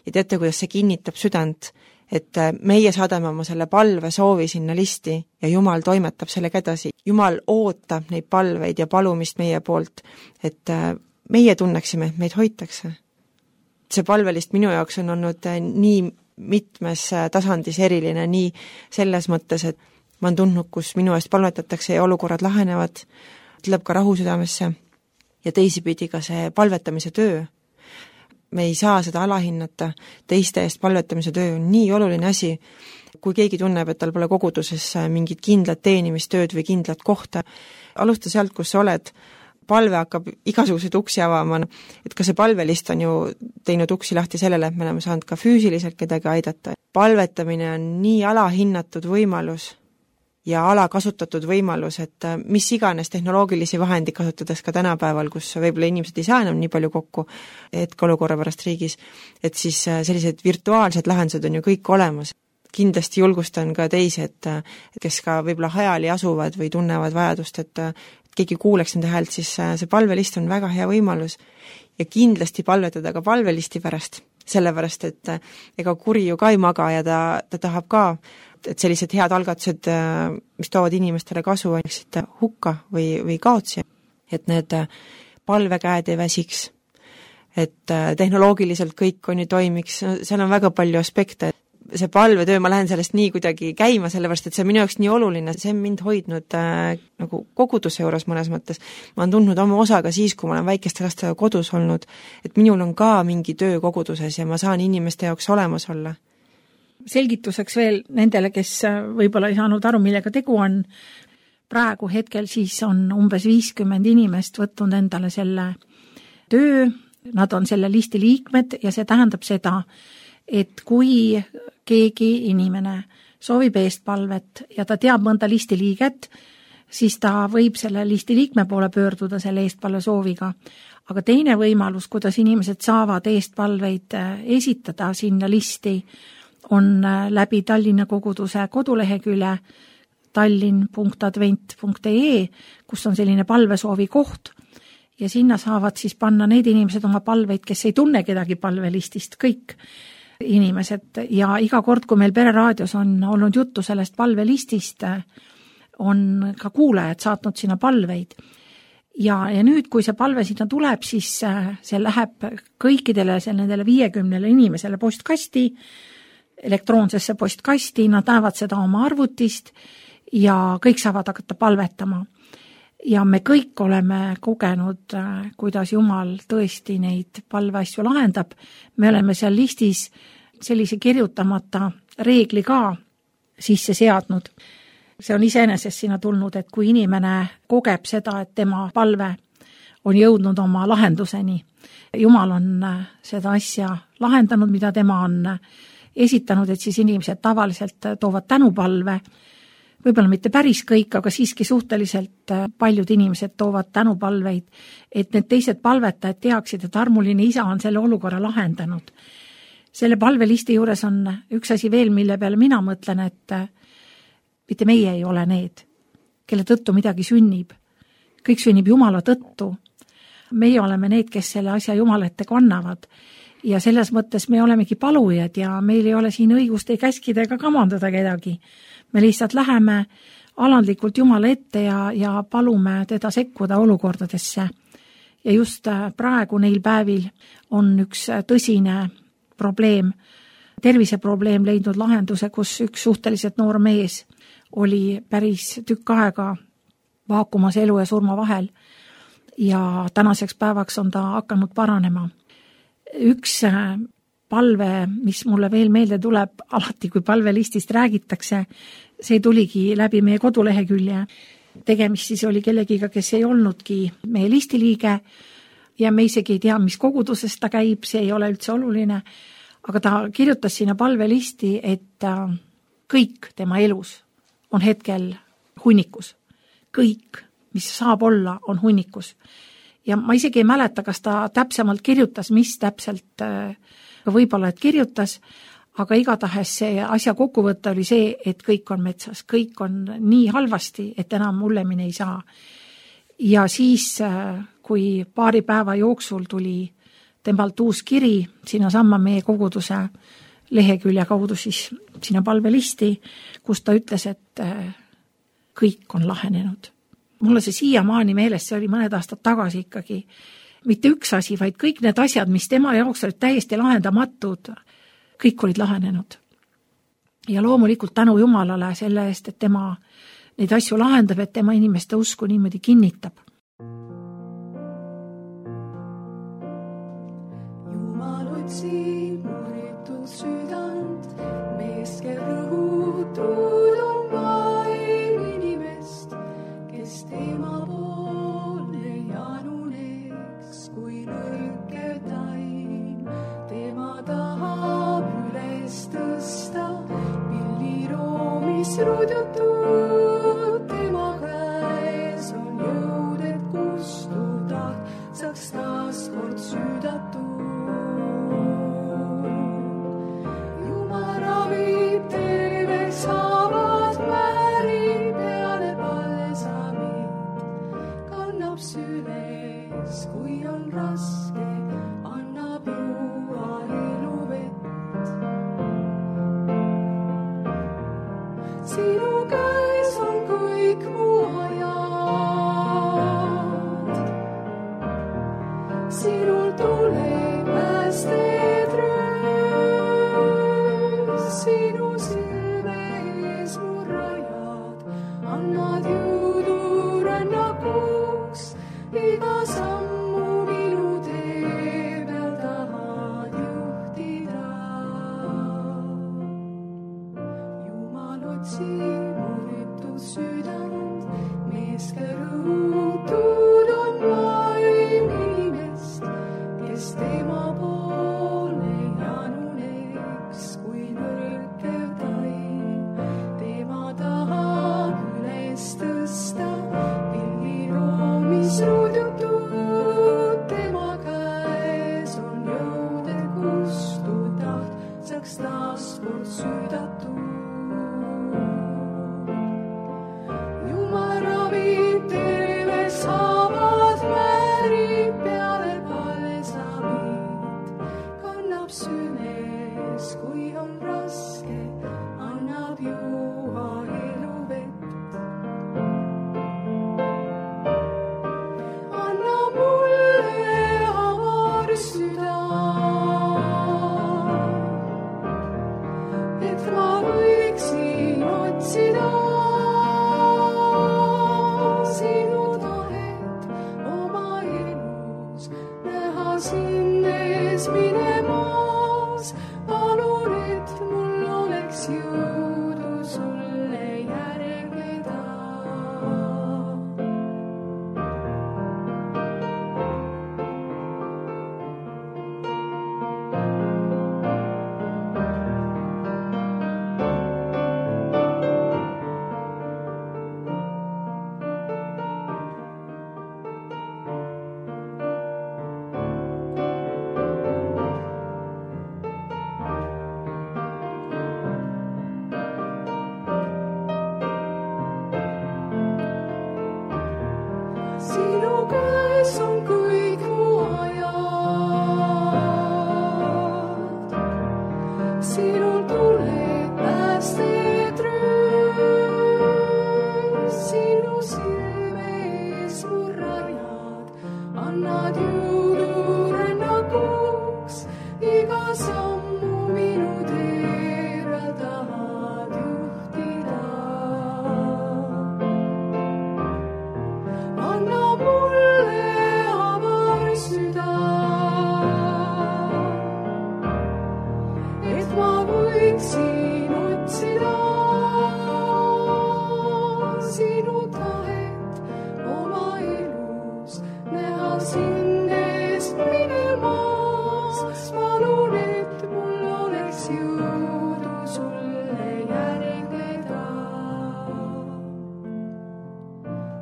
Ja teate, kuidas see kinnitab südant, et meie saadame oma selle palve soovi sinna listi ja Jumal toimetab sellega edasi. Jumal ootab neid palveid ja palumist meie poolt, et meie tunneksime, et meid hoitakse. See palvelist minu jaoks on olnud nii mitmes tasandis eriline, nii selles mõttes, et ma olen tundnud, kus minu eest palvetatakse ja olukorrad lahenevad, tuleb ka rahu südamesse ja teisipidi ka see palvetamise töö. Me ei saa seda alahinnata, teiste eest palvetamise töö on nii oluline asi, kui keegi tunneb, et tal pole koguduses mingit kindlat teenimistööd või kindlat kohta. Alusta sealt, kus sa oled, palve hakkab igasuguseid uksi avama, et ka see palvelist on ju teinud uksi lahti sellele, et me oleme saanud ka füüsiliselt kedagi aidata. Palvetamine on nii alahinnatud võimalus ja alakasutatud võimalus, et mis iganes tehnoloogilisi vahendi kasutades ka tänapäeval, kus võib-olla inimesed ei saa enam nii palju kokku hetkeolukorra pärast riigis, et siis sellised virtuaalsed lahendused on ju kõik olemas. Kindlasti julgustan ka teisi, et kes ka võib-olla hajali asuvad või tunnevad vajadust, et keegi kuuleks nende häält, siis see palvelist on väga hea võimalus ja kindlasti palvetada ka palvelisti pärast, sellepärast, et ega kuri ju ka ei maga ja ta tahab ka, et sellised head algatused, mis toovad inimestele kasu, oleksid hukka või kaotsi, et need palvekäed ei väsiks, et tehnoloogiliselt kõik on ju toimiks, seal on väga palju aspekte. See palvetöö, ma lähen sellest nii kuidagi käima, sellepärast, et see on minu jaoks nii oluline, see on mind hoidnud nagu koguduse juures mõnes mõttes. Ma olen tundnud oma osaga siis, kui ma olen väikeste lastega kodus olnud, et minul on ka mingi töö koguduses ja ma saan inimeste jaoks olemas olla. Selgituseks veel nendele, kes võib-olla ei saanud aru, millega tegu on, praegu hetkel siis on umbes 50 inimest võtnud endale selle töö, nad on selle listi liikmed ja see tähendab seda, et kui keegi inimene soovib eestpalvet ja ta teab mõnda listi liiget, siis ta võib selle listi liikme poole pöörduda selle eestpalve sooviga. Aga teine võimalus, kuidas inimesed saavad eestpalveid esitada sinna listi, on läbi Tallinna koguduse kodulehekülje tallinn.advent.ee, kus on selline palvesoovi koht ja sinna saavad siis panna need inimesed oma palveid, kes ei tunne kedagi palvelistist, kõik inimesed ja iga kord, kui meil Pereraadios on olnud juttu sellest palvelistist, on ka kuulajad saatnud sinna palveid. Ja nüüd, kui see palve sinna tuleb, siis see läheb kõikidele nendele 50 inimesele postkasti, elektroonsesse postkasti, nad näevad seda oma arvutist ja kõik saavad hakata palvetama. Ja me kõik oleme kogenud, kuidas Jumal tõesti neid palveasju lahendab. Me oleme seal listis sellise kirjutamata reegli ka sisse seadnud. See on iseenesest sinna tulnud, et kui inimene kogeb seda, et tema palve on jõudnud oma lahenduseni, Jumal on seda asja lahendanud, mida tema on esitanud, et siis inimesed tavaliselt toovad tänupalve võib-olla mitte päris kõik, aga siiski suhteliselt paljud inimesed toovad tänupalveid, et need teised palvetajad teaksid, et armuline isa on selle olukorra lahendanud. Selle palvelisti juures on üks asi veel, mille peale mina mõtlen, et mitte meie ei ole need, kelle tõttu midagi sünnib. Kõik sünnib Jumala tõttu. Meie oleme need, kes selle asja Jumala ette kannavad. Ja selles mõttes me olemegi palujad ja meil ei ole siin õigust ei käskida ega kamandada kedagi. Me lihtsalt läheme alandlikult Jumala ette ja palume teda sekkuda olukordadesse. Ja just praegu neil päevil on üks tõsine probleem, terviseprobleem leidnud lahenduse, kus üks suhteliselt noor mees oli päris tükk aega vaakumas elu ja surma vahel ja tänaseks päevaks on ta hakanud paranema. Üks palve, mis mulle veel meelde tuleb alati, kui palvelistist räägitakse, see tuligi läbi meie kodulehekülje. Tegemist siis oli kellegiga, kes ei olnudki meie listiliige ja me isegi ei tea, mis kogudusest ta käib, see ei ole üldse oluline, aga ta kirjutas sinna palvelisti, et kõik tema elus on hetkel hunnikus. Kõik, mis saab olla, on hunnikus. Ja ma isegi ei mäleta, kas ta täpsemalt kirjutas, mis täpselt võib-olla et kirjutas, aga igatahes see asja kokkuvõte oli see, et kõik on metsas, kõik on nii halvasti, et enam hullemini ei saa. Ja siis, kui paari päeva jooksul tuli temalt uus kiri sinna samma meie koguduse lehekülje kaudu siis sinna palvelisti, kus ta ütles, et kõik on lahenenud. Mulle see siiamaani meeles, see oli mõned aastad tagasi ikkagi mitte üks asi, vaid kõik need asjad, mis tema jaoks olid täiesti lahendamatud, kõik olid lahenenud. Ja loomulikult tänu Jumalale selle eest, et tema neid asju lahendab, et tema inimeste usku niimoodi kinnitab. Jumal otsib murritud südant, mees, kel rõhutud on vaim inimest, kes tema poole januneks kui nõrke taim. Tema tahab üles tõsta pilliroomis rudjutud, tema käes on jõud, et kustuda saaks taas kord süüdatud. Jumal ravib terveks haavad, määrib peale palsamid, kannab süles, kui on raske, annab juua eluvett. Sinu käes on kõik mu ajad, sinul tuleb päästed röös, sinu silme ees mu rajad, annad jõudu rännakuks, iga sammu minu tee sinu käes on kõik mu ajad. Sinul tuleb päästed röös, sinu silme ees mu rajad, annad jõudu rännakuks, iga sammu minu teel tahad juhtida. Anna mulle avar süda, et ma võiksin otsida sinu tahet oma elus, näha sind eest minemas. Palun, et mul oleks jõudu sulle järgleda.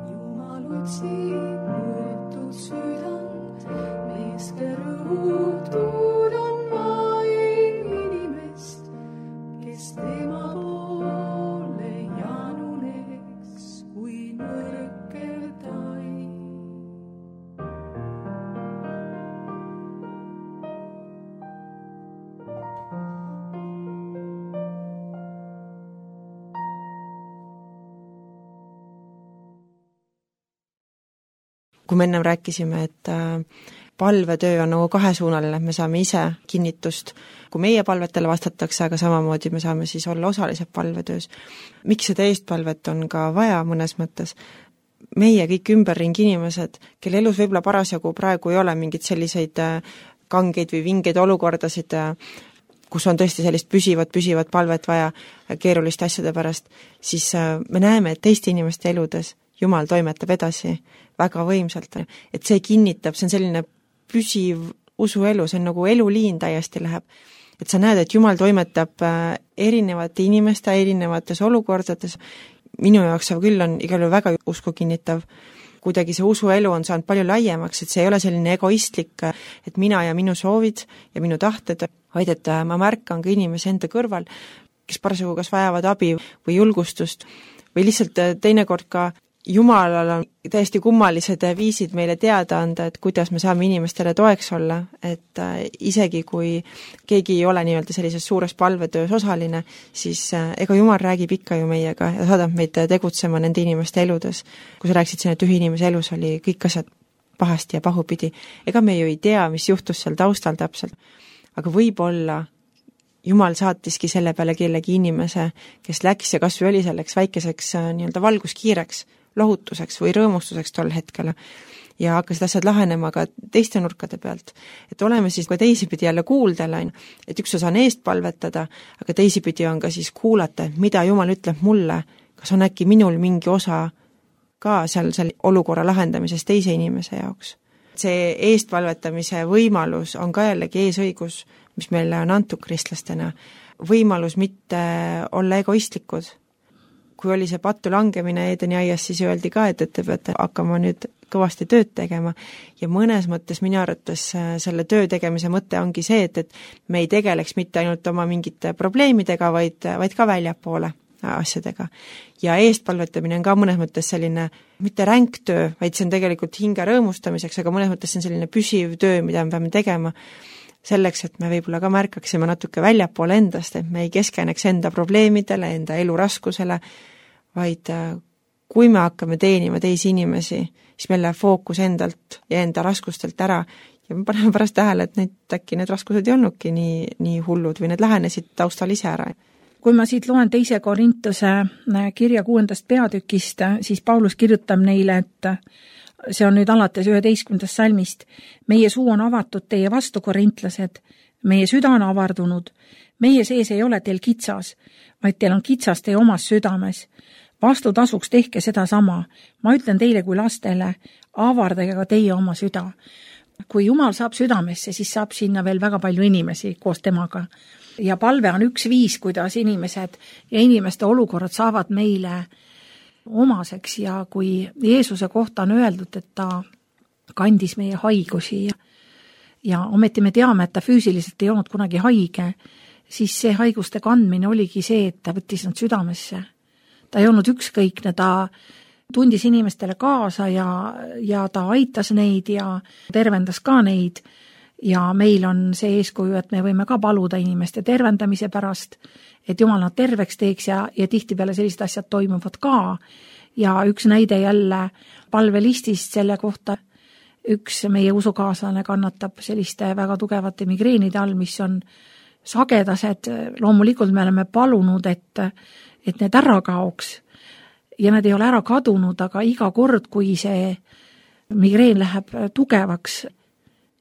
Jumal otsib mõõtud südant, mees, rõhutud on vaim inimest, kes tema poole januneks kui nõrkel taim. Kui me ennem rääkisime, et palvetöö on nagu kahesuunaline, et me saame ise kinnitust, kui meie palvetele vastatakse, aga samamoodi me saame siis olla osalised palvetöös. Miks seda eestpalvet on ka vaja mõnes mõttes? Meie kõik ümberringi inimesed, kelle elus võib-olla parasjagu praegu ei ole mingid selliseid kangeid või vingeid olukordasid, kus on tõesti sellist püsivat palvet vaja keeruliste asjade pärast, siis me näeme, et teiste inimeste eludes Jumal toimetab edasi väga võimsalt, et see kinnitab, see on selline püsiv usuelu, see on nagu eluliin täiesti läheb. Et sa näed, et Jumal toimetab erinevate inimeste erinevates olukordades. Minu jaoks see küll on igal juhul väga usku kinnitav. Kuidagi see usuelu on saanud palju laiemaks, et see ei ole selline egoistlik, et mina ja minu soovid ja minu tahted, vaid et ma märkan ka inimese enda kõrval, kes parasjagu kas vajavad abi või julgustust või lihtsalt teinekord ka Jumalal on täiesti kummalised viisid meile teada anda, et kuidas me saame inimestele toeks olla, et isegi kui keegi ei ole nii-öelda sellises suures palvetöös osaline, siis ega Jumal räägib ikka ju meiega ja saadab meid tegutsema nende inimeste eludes. Kui sa rääkisid siin, et ühe inimese elus oli kõik asjad pahasti ja pahupidi, ega me ju ei tea, mis juhtus seal taustal täpselt, aga võib-olla Jumal saatiski selle peale kellegi inimese, kes läks ja kas või oli selleks väikeseks nii-öelda valguskiireks, lohutuseks või rõõmustuseks tol hetkel ja hakkasid asjad lahenema ka teiste nurkade pealt. Et oleme siis ka teisipidi jälle kuuldel, et üks osa on eest palvetada, aga teisipidi on ka siis kuulata, mida Jumal ütleb mulle, kas on äkki minul mingi osa ka seal olukorra lahendamises teise inimese jaoks. See eestpalvetamise võimalus on ka jällegi eesõigus, mis meile on antud kristlastena. Võimalus mitte olla egoistlikud. Kui oli see pattu langemine Edeni aias, siis öeldi ka, et te peate hakkama nüüd kõvasti tööd tegema ja mõnes mõttes minu arvates selle töö tegemise mõte ongi see, et me ei tegeleks mitte ainult oma mingite probleemidega, vaid ka väljapoole asjadega. Ja eestpalvetamine on ka mõnes mõttes selline mitte ränk töö, vaid see on tegelikult hinge rõõmustamiseks, aga mõnes mõttes see on selline püsiv töö, mida me peame tegema selleks, et me võib-olla ka märkaksime natuke väljapoole endast, et me ei keskeneks enda probleemidele, enda elu raskusele, vaid kui me hakkame teenima teisi inimesi, siis meil läheb fookus endalt ja enda raskustelt ära ja me paneme pärast tähele, et äkki need raskused ei olnudki nii hullud või need lähenesid taustal ise ära. Kui ma siit loen 2. Korintuse kirja 6. peatükist, siis Paulus kirjutab neile, et see on nüüd alates 11. salmist. Meie suu on avatud teie vastu, korintlased. Meie süda on avardunud. Meie sees ei ole teil kitsas, vaid teil on kitsas teie omas südames. Vastutasuks tehke seda sama. Ma ütlen teile kui lastele, avardage ka teie oma süda. Kui Jumal saab südamesse, siis saab sinna veel väga palju inimesi koos temaga. Ja palve on üks viis, kuidas inimesed ja inimeste olukorrad saavad meile omaseks ja kui Jeesuse kohta on öeldud, et ta kandis meie haigusi ja ometi me teame, et ta füüsiliselt ei olnud kunagi haige, siis see haiguste kandmine oligi see, et ta võttis nad südamesse. Ta ei olnud ükskõikne, ta tundis inimestele kaasa ja ta aitas neid ja tervendas ka neid ja meil on see eeskuju, et me võime ka paluda inimeste tervendamise pärast, et Jumal nad terveks teeks ja tihtipeale sellised asjad toimuvad ka. Ja üks näide jälle palvelistist selle kohta, üks meie usukaaslane kannatab selliste väga tugevate migreenide all, mis on sagedased. Loomulikult me oleme palunud, et need ära kaoks ja need ei ole ära kadunud, aga iga kord, kui see migreen läheb tugevaks,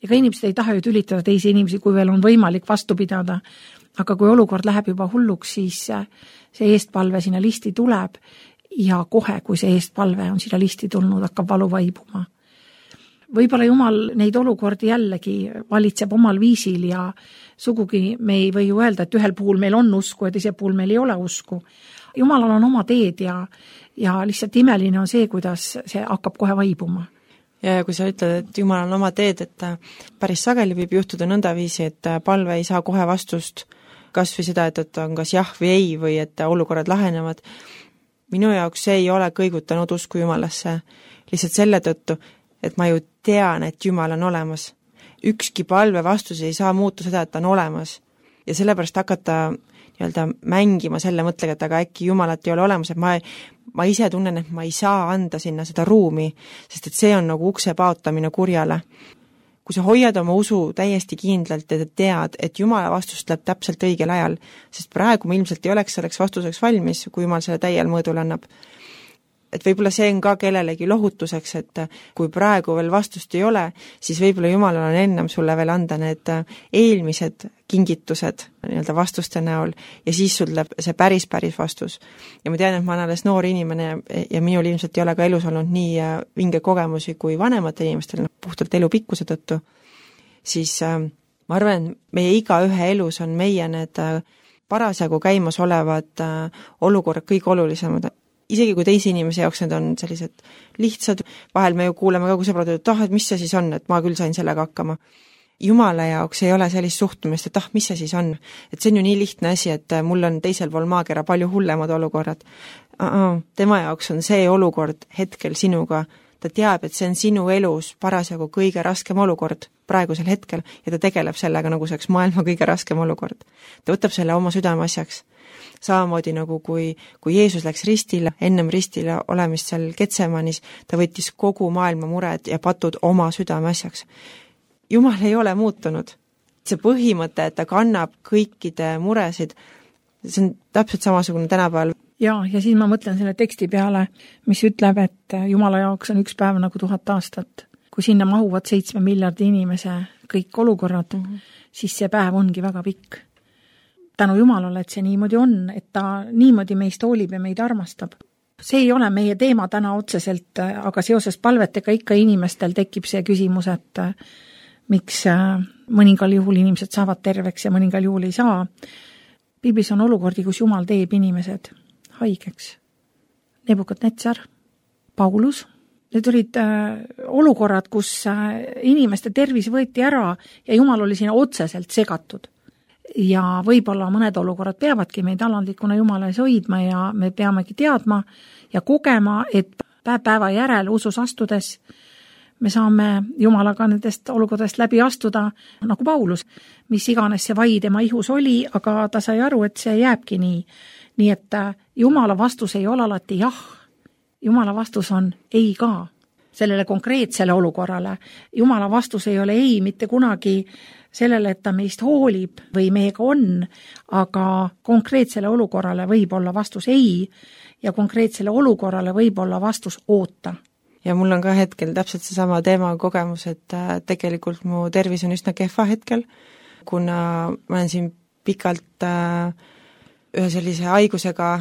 ega inimesed ei taha ju tülitada teisi inimesi, kui veel on võimalik vastu pidada, aga kui olukord läheb juba hulluks, siis see eestpalve sinna listi tuleb ja kohe, kui see eestpalve on sinna listi tulnud, hakkab valu vaibuma. Võib-olla Jumal neid olukordi jällegi valitseb omal viisil ja sugugi me ei või ju öelda, et ühel puhul meil on usku ja teisel puhul meil ei ole usku. Jumalal on oma teed ja lihtsalt imeline on see, kuidas see hakkab kohe vaibuma. Ja kui sa ütled, et Jumal on oma teed, et päris sageli võib juhtuda nõndaviisi, et palve ei saa kohe vastust, kas või seda, et on kas jah või ei või et olukorrad lahenevad. Minu jaoks see ei ole kõigutanud usku Jumalasse lihtsalt selle tõttu, et ma ju tean, et Jumal on olemas. Ükski palve vastus ei saa muuta seda, et ta on olemas. Ja sellepärast hakata mängima selle mõtlega, et aga äkki Jumalat ei ole olemas, et ma ise tunnen, et ma ei saa anda sinna seda ruumi, sest et see on nagu ukse paotamine kurjale. Kui sa hoiad oma usu täiesti kindlalt ja tead, et Jumala vastus tuleb täpselt õigel ajal, sest praegu ma ilmselt ei oleks selleks vastuseks valmis, kui Jumal selle täiel mõõdul annab. Et võib-olla see on ka kellelegi lohutuseks, et kui praegu veel vastust ei ole, siis võib-olla Jumalal on ennem sulle veel anda need eelmised kingitused vastuste näol ja siis sul tuleb see päris vastus. Ja ma tean, et ma olen alles noor inimene ja minul ilmselt ei ole ka elus olnud nii vinge kogemusi kui vanemate inimestel, puhtalt elu pikkuse tõttu, siis ma arvan, et meie igaühe elus on meie need parasjagu käimas olevad olukorrad kõik olulisemad. Isegi kui teisi inimese jaoks need on sellised lihtsad, vahel me ju kuuleme ka, kui sõbrad, et mis see siis on, et ma küll sain sellega hakkama. Jumala jaoks ei ole sellist suhtumist, et mis see siis on. Et see on ju nii lihtne asi, et mul on teisel pool maakera palju hullemad olukorrad. Tema jaoks on see olukord hetkel sinuga. Ta teab, et see on sinu elus parasjagu kõige raskem olukord praegusel hetkel ja ta tegeleb sellega nagu see maailma kõige raskem olukord. Ta võtab selle oma südame asjaks. Samamoodi nagu kui Jeesus läks ristile, ennem ristile olemist seal Getsemanis, ta võttis kogu maailma mured ja patud oma südame asjaks. Jumal ei ole muutunud. See põhimõte, et ta kannab kõikide muresid, see on täpselt samasugune tänapäeval. Ja siis ma mõtlen selle teksti peale, mis ütleb, et Jumala jaoks on üks päev nagu 1000 aastat. Kui sinna mahuvad 7 miljardi inimese kõik olukorrad, siis see päev ongi väga pikk. Tänu Jumalale, et see niimoodi on, et ta niimoodi meist hoolib ja meid armastab. See ei ole meie teema täna otseselt, aga seoses palvetega ikka inimestel tekib see küsimus, et miks mõningal juhul inimesed saavad terveks ja mõningal juhul ei saa. Piiblis on olukordi, kus Jumal teeb inimesed haigeks. Nebukadnetsar, Paulus. Need olid olukorrad, kus inimeste tervis võeti ära ja Jumal oli sinna otseselt segatud. Ja võib-olla mõned olukorrad peavadki meid alandlikuna Jumala ees hoidma ja me peamegi teadma ja kogema, et päeva järel usus astudes me saame Jumalaga nendest olukordadest läbi astuda nagu Paulus, mis iganes see vai tema ihus oli, aga ta sai aru, et see jääbki nii. Nii et Jumala vastus ei ole alati jah, Jumala vastus on ei ka sellele konkreetsele olukorrale. Jumala vastus ei ole ei mitte kunagi sellele, et ta meist hoolib või meiega on, aga konkreetsele olukorrale võib olla vastus ei ja konkreetsele olukorrale võib olla vastus oota. Ja mul on ka hetkel täpselt seesama teema kogemus, et tegelikult mu tervis on üsna kehva hetkel, kuna ma olen siin pikalt ühe sellise haigusega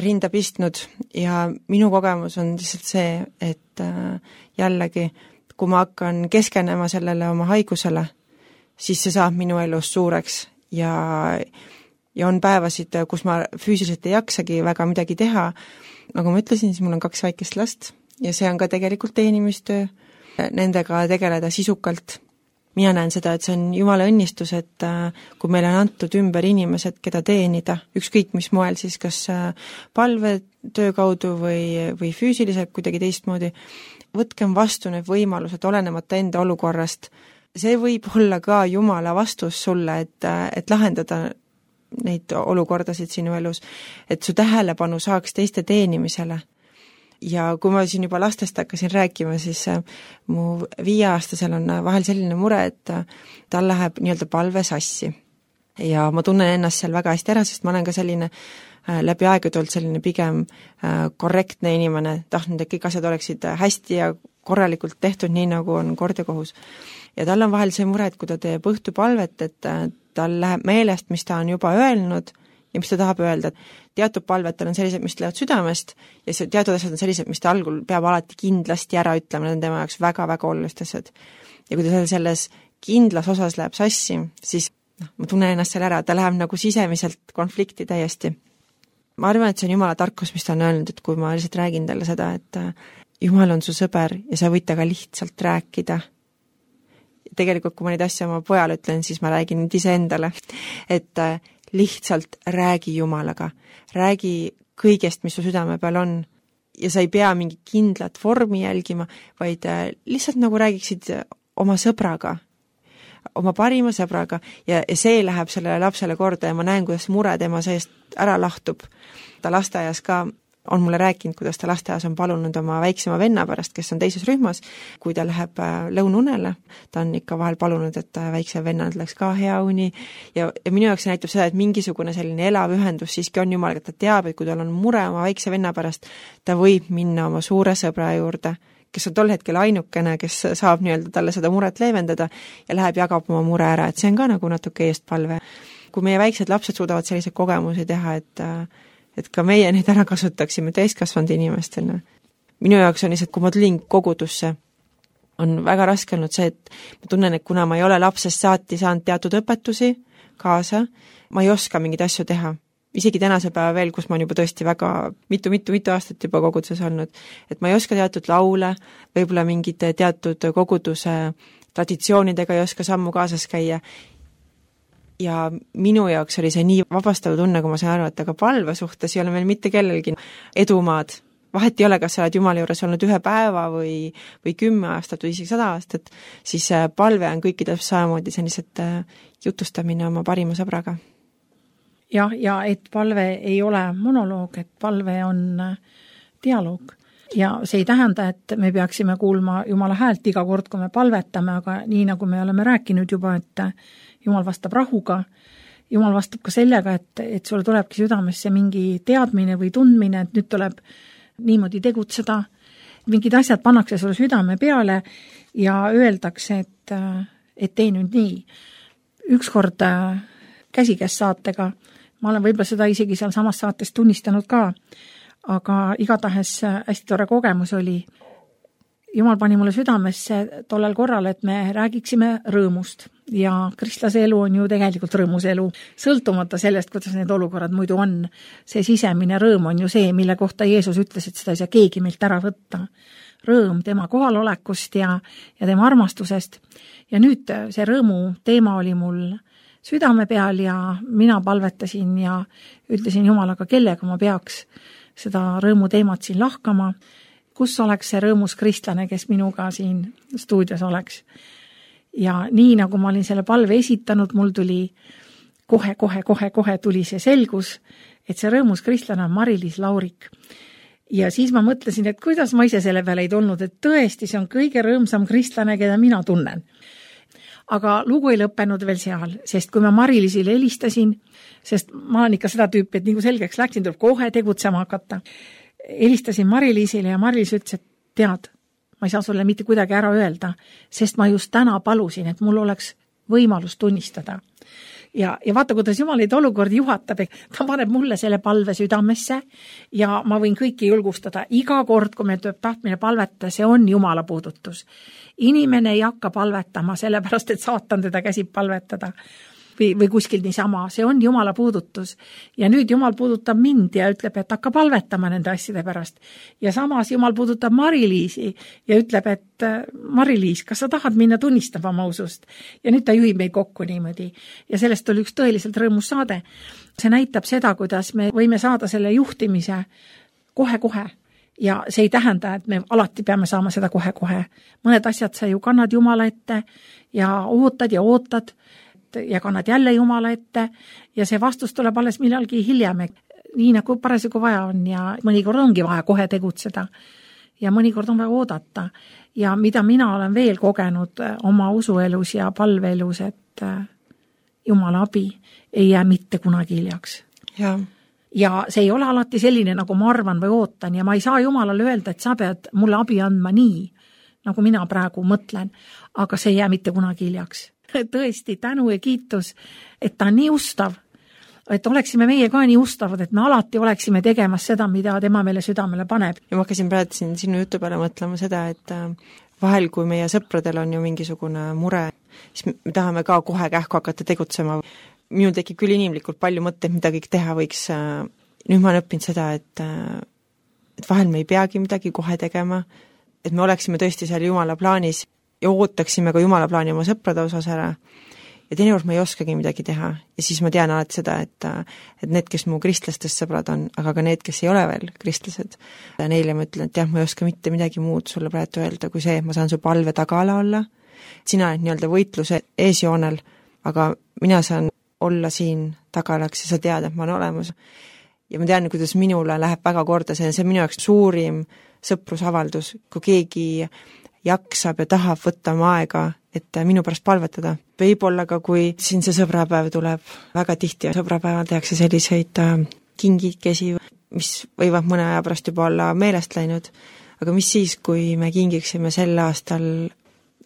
rinda pistnud ja minu kogemus on lihtsalt see, et jällegi, kui ma hakkan keskenema sellele oma haigusele, siis see saab minu elus suureks ja on päevasid, kus ma füüsiliselt ei jaksagi väga midagi teha. Nagu ma ütlesin, siis mul on 2 väikest last ja see on ka tegelikult teenimistöö, nendega tegeleda sisukalt. mina näen seda, et see on Jumala õnnistus, et kui meile on antud ümber inimesed, keda teenida, ükskõik mis moel siis, kas palvetöö kaudu või füüsiliselt kuidagi teistmoodi, võtkem vastu need võimalused olenemata enda olukorrast. See võib olla ka Jumala vastus sulle, et lahendada neid olukordasid sinu elus, et su tähelepanu saaks teiste teenimisele. Ja kui ma siin juba lastest hakkasin rääkima, siis mu 5-aastasel on vahel selline mure, et tal läheb nii-öelda palve sassi. Ja ma tunnen ennast seal väga hästi ära, sest ma olen ka selline läbi aegade olnud selline pigem korrektne inimene, tahtnud, et kõik asjad oleksid hästi ja korralikult tehtud, nii nagu on kord ja kohus. Ja tal on vahel see mure, et kui ta teeb õhtupalvet, et tal läheb meelest, mis ta on juba öelnud ja mis ta tahab öelda. Teatud palvetel on sellised, mis lähevad südamest ja teatud asjad on sellised, mis ta algul peab alati kindlasti ära ütlema, need on tema jaoks väga-väga olulised asjad. Ja kui ta selles kindlas osas läheb sassi, siis ma tunnen ennast seal ära, ta läheb nagu sisemiselt konflikti täiesti. Ma arvan, et see on Jumala tarkus, mis ta on öelnud, et kui ma lihtsalt räägin talle seda, et Jumal on su sõber ja sa võid temaga lihtsalt rääkida. Tegelikult, kui ma neid asja oma pojale ütlen, siis ma räägin nüüd iseendale, et lihtsalt räägi Jumalaga, räägi kõigest, mis su südame peal on ja sa ei pea mingi kindlat vormi jälgima, vaid lihtsalt nagu räägiksid oma sõbraga, oma parima sõbraga ja see läheb sellele lapsele korda ja ma näen, kuidas mure tema seest ära lahtub. Ta lasteaias ka on mulle rääkinud, kuidas ta lasteaias on palunud oma väiksema venna pärast, kes on teises rühmas, kui ta läheb lõunaunele, ta on ikka vahel palunud, et väikse vennal läks ka hea uni ja minu jaoks näitab seda, et mingisugune selline elav ühendus siiski on Jumalaga, et ta teab, et kui tal on mure oma väikse venna pärast, ta võib minna oma suure sõbra juurde, kes on tol hetkel ainukene, kes saab nii-öelda talle seda muret leevendada ja läheb jagab oma mure ära, et see on ka nagu natuke eestpalve. Kui meie väiksed lapsed suudavad selliseid kogemusi teha, et ka meie neid ära kasutaksime täiskasvanud inimestena. Minu jaoks on lihtsalt, kui ma tulin kogudusse, on väga raske olnud see, et ma tunnen, et kuna ma ei ole lapsest saati saanud teatud õpetusi kaasa, ma ei oska mingeid asju teha. Isegi tänase päeva veel, kus ma olen juba tõesti väga mitu aastat juba koguduses olnud, et ma ei oska teatud laule, võib-olla mingid teatud koguduse traditsioonidega ei oska sammu kaasas käia. Ja minu jaoks oli see nii vabastav tunne, kui ma sain aru, et aga palve suhtes ei ole meil mitte kellelgi edumaad. Vahet ei ole, kas sa oled Jumala juures olnud 1 päeva või 10 aastat või isegi 100 aastat, siis palve on kõikidel samamoodi sellised jutustamine oma parima sõbraga. Ja et palve ei ole monoloog, et palve on dialoog. Ja see ei tähenda, et me peaksime kuulma Jumala häält iga kord, kui me palvetame, aga nii nagu me oleme rääkinud juba, et Jumal vastab rahuga, Jumal vastab ka sellega, et sulle tulebki südamesse mingi teadmine või tundmine, et nüüd tuleb niimoodi tegutseda, mingid asjad pannakse sulle südame peale ja öeldakse, et tee nüüd nii. Ükskord käsikäes saatega, ma olen võib-olla seda isegi seal samas saates tunnistanud ka, aga igatahes hästi tore kogemus oli. Jumal pani mulle südamesse tollel korral, et me räägiksime rõõmust ja kristlase elu on ju tegelikult rõõmus elu, sõltumata sellest, kuidas need olukorrad muidu on. See sisemine rõõm on ju see, mille kohta Jeesus ütles, et seda ei saa keegi meilt ära võtta. Rõõm tema kohalolekust ja tema armastusest. Ja nüüd see rõõmu teema oli mul südame peal ja mina palvetasin ja ütlesin Jumalaga, kellega ma peaks seda rõõmu teemat siin lahkama, kus oleks see rõõmus kristlane, kes minuga siin stuudios oleks. Ja nii nagu ma olin selle palve esitanud, mul tuli kohe tuli see selgus, et see rõõmus kristlane on Mari-Liis Laurik. Ja siis ma mõtlesin, et kuidas ma ise selle peale ei tulnud, et tõesti see on kõige rõõmsam kristlane, keda mina tunnen. Aga lugu ei lõppenud veel seal, sest kui ma Mari-Liisile helistasin, sest ma olen ikka seda tüüpi, et nagu selgeks läksin, tuleb kohe tegutsema hakata. Helistasin Mari-Liisile ja Mari-Liis ütles, et tead, ma ei saa sulle mitte kuidagi ära öelda, sest ma just täna palusin, et mul oleks võimalus tunnistada. Ja vaata, kuidas Jumal neid olukordi juhatab, ta paneb mulle selle palve südamesse ja ma võin kõiki julgustada. Iga kord, kui meil tuleb tahtmine palvetada, see on Jumala puudutus. Inimene ei hakka palvetama, sellepärast, et saatan teda käsib palvetada. või kuskil niisama, see on Jumala puudutus. Ja nüüd Jumal puudutab mind ja ütleb, et hakka palvetama nende asjade pärast. Ja samas Jumal puudutab Mari-Liisi ja ütleb, et Mari-Liis, kas sa tahad minna tunnistama oma usust? Ja nüüd ta juhib meid kokku niimoodi. Ja sellest oli üks tõeliselt rõõmus saade. See näitab seda, kuidas me võime saada selle juhtimise kohe-kohe. Ja see ei tähenda, et me alati peame saama seda kohe-kohe. Mõned asjad sa ju kannad Jumala ette ja ootad ja kannad jälle Jumala ette ja see vastus tuleb alles millalgi hiljem, nii nagu parasjagu vaja on ja mõnikord ongi vaja kohe tegutseda ja mõnikord on vaja oodata. Ja mida mina olen veel kogenud oma usuelus ja palveelus, et Jumala abi ei jää mitte kunagi hiljaks. Ja see ei ole alati selline, nagu ma arvan või ootan ja ma ei saa Jumalale öelda, et sa pead mulle abi andma nii, nagu mina praegu mõtlen, aga see ei jää mitte kunagi hiljaks. Tõesti, tänu ja kiitus, et ta on nii ustav, et oleksime meie ka nii ustavad, et me alati oleksime tegemas seda, mida tema meile südamele paneb. Ja ma hakkasin praegu sinu jutu peale mõtlema seda, et vahel, kui meie sõpradel on ju mingisugune mure, siis me tahame ka kohe kähku hakata tegutsema. Minul tekib küll inimlikult palju mõtteid, mida kõik teha võiks. Nüüd ma olen õppinud seda, et vahel me ei peagi midagi kohe tegema, et me oleksime tõesti seal Jumala plaanis ja ootaksime ka Jumala plaani oma sõprade osas ära. Ja teinekord ma ei oskagi midagi teha. Ja siis ma tean alati seda, et need, kes mu kristlastest sõbrad on, aga ka need, kes ei ole veel kristlased, neile ma ütlen, et jah, ma ei oska mitte midagi muud sulle praegu öelda, kui see, et ma saan su palve tagala olla. Sina oled nii-öelda võitluse eesjoonel, aga mina saan olla siin tagalaks ja sa tead, et ma olen olemas. Ja ma tean, kuidas minule läheb väga korda, see on minu jaoks suurim sõprusavaldus, kui keegi jaksab ja tahab võtta oma aega, et minu pärast palvetada. Võib-olla ka, kui siin see sõbrapäev tuleb, väga tihti sõbrapäeval tehakse selliseid kingikesi, mis võivad mõne aja pärast juba olla meelest läinud, aga mis siis, kui me kingiksime sel aastal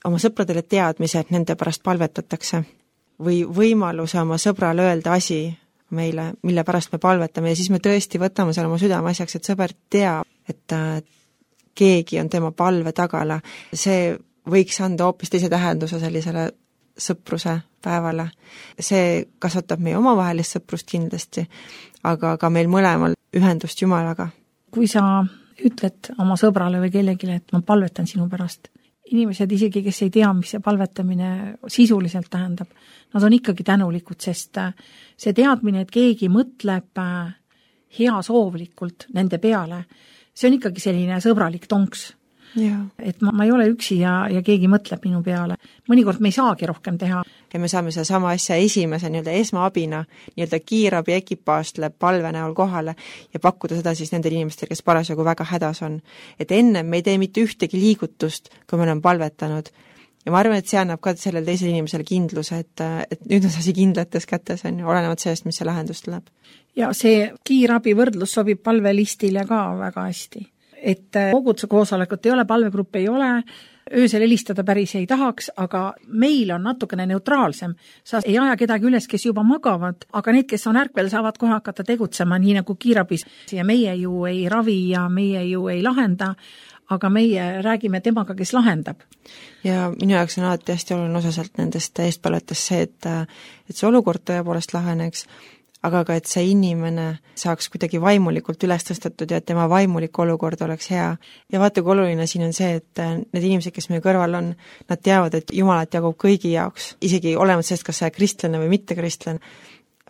oma sõpradele teadmise, et nende pärast palvetatakse või võimaluse oma sõbrale öelda asi meile, mille pärast me palvetame ja siis me tõesti võtame seal oma südame asjaks, et sõber teab, et keegi on tema palve tagala. See võiks anda hoopis teise tähenduse sellisele sõpruse päevale. See kasvatab meie omavahelist sõprust kindlasti, aga ka meil mõlemal ühendust Jumalaga. Kui sa ütled oma sõbrale või kellegile, et ma palvetan sinu pärast, inimesed isegi, kes ei tea, mis see palvetamine sisuliselt tähendab, nad on ikkagi tänulikud, sest see teadmine, et keegi mõtleb heasoovlikult nende peale, see on ikkagi selline sõbralik tonks. Ja. Et ma ei ole üksi ja keegi mõtleb minu peale. Mõnikord me ei saagi rohkem teha. Ja me saame seda sama asja esimese nii-öelda esmaabina, nii-öelda kiirabi ekipaastele palve näol kohale ja pakkuda seda siis nendele inimestele, kes parasjagu väga hädas on. Et enne me ei tee mitte ühtegi liigutust, kui me oleme palvetanud. Ja ma arvan, et see annab ka sellele teisele inimesele kindluse, et nüüd on see kindlates kätes, on ju, olenevad sellest, mis see lahendus tuleb. Ja see kiirabi võrdlus sobib palvelistile ka väga hästi. Et koguduse koosolekut ei ole, palvegrupp ei ole, öösel helistada päris ei tahaks, aga meil on natukene neutraalsem. Sa ei aja kedagi üles, kes juba magavad, aga need, kes on ärkvel, saavad kohe hakata tegutsema nii nagu kiirabis. Ja meie ju ei ravi ja meie ju ei lahenda, aga meie räägime temaga, kes lahendab. Ja minu jaoks on alati hästi oluline osa sealt nendest eestpalvetest see, et see olukord tõepoolest laheneks, aga ka, et see inimene saaks kuidagi vaimulikult üles tõstetud ja et tema vaimulik olukord oleks hea. Ja vaata, kui oluline siin on see, et need inimesed, kes meie kõrval on, nad teavad, et Jumalat jagub kõigi jaoks, isegi olemas sellest, kas sa kristlane või mitte kristlane.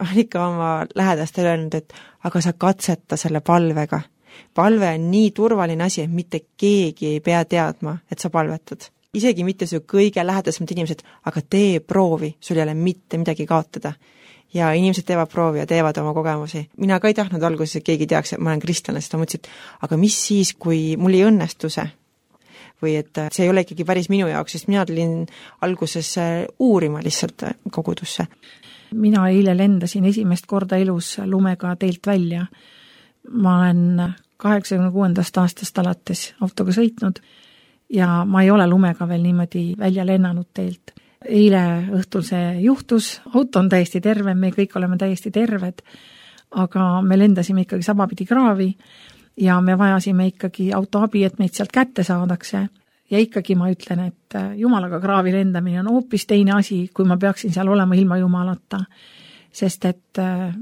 On ikka oma lähedastel öelnud, et aga sa katseta selle palvega. Palve on nii turvaline asi, et mitte keegi ei pea teadma, et sa palvetad. Isegi mitte su kõige lähedasemad inimesed, aga tee proovi, sul ei ole mitte midagi kaotada. Ja inimesed teevad proovi ja teevad oma kogemusi. Mina ka ei tahtnud alguses, et keegi teaks, et ma olen kristlane, sest ma mõtlesin, aga mis siis, kui mul ei õnnestu see? Või et see ei ole ikkagi päris minu jaoks, sest mina tulin alguses uurima lihtsalt kogudusse. Mina eile lendasin esimest korda elus lumega teelt välja. Ma olen 86. aastast alates autoga sõitnud ja ma ei ole lumega veel niimoodi välja lennanud teelt. Eile õhtul see juhtus, auto on täiesti terve, me kõik oleme täiesti terved, aga me lendasime ikkagi sabapidi kraavi ja me vajasime ikkagi autoabi, et meid sealt kätte saadakse. ja ikkagi ma ütlen, et Jumalaga kraavi lendamine on hoopis teine asi, kui ma peaksin seal olema ilma Jumalata. Sest et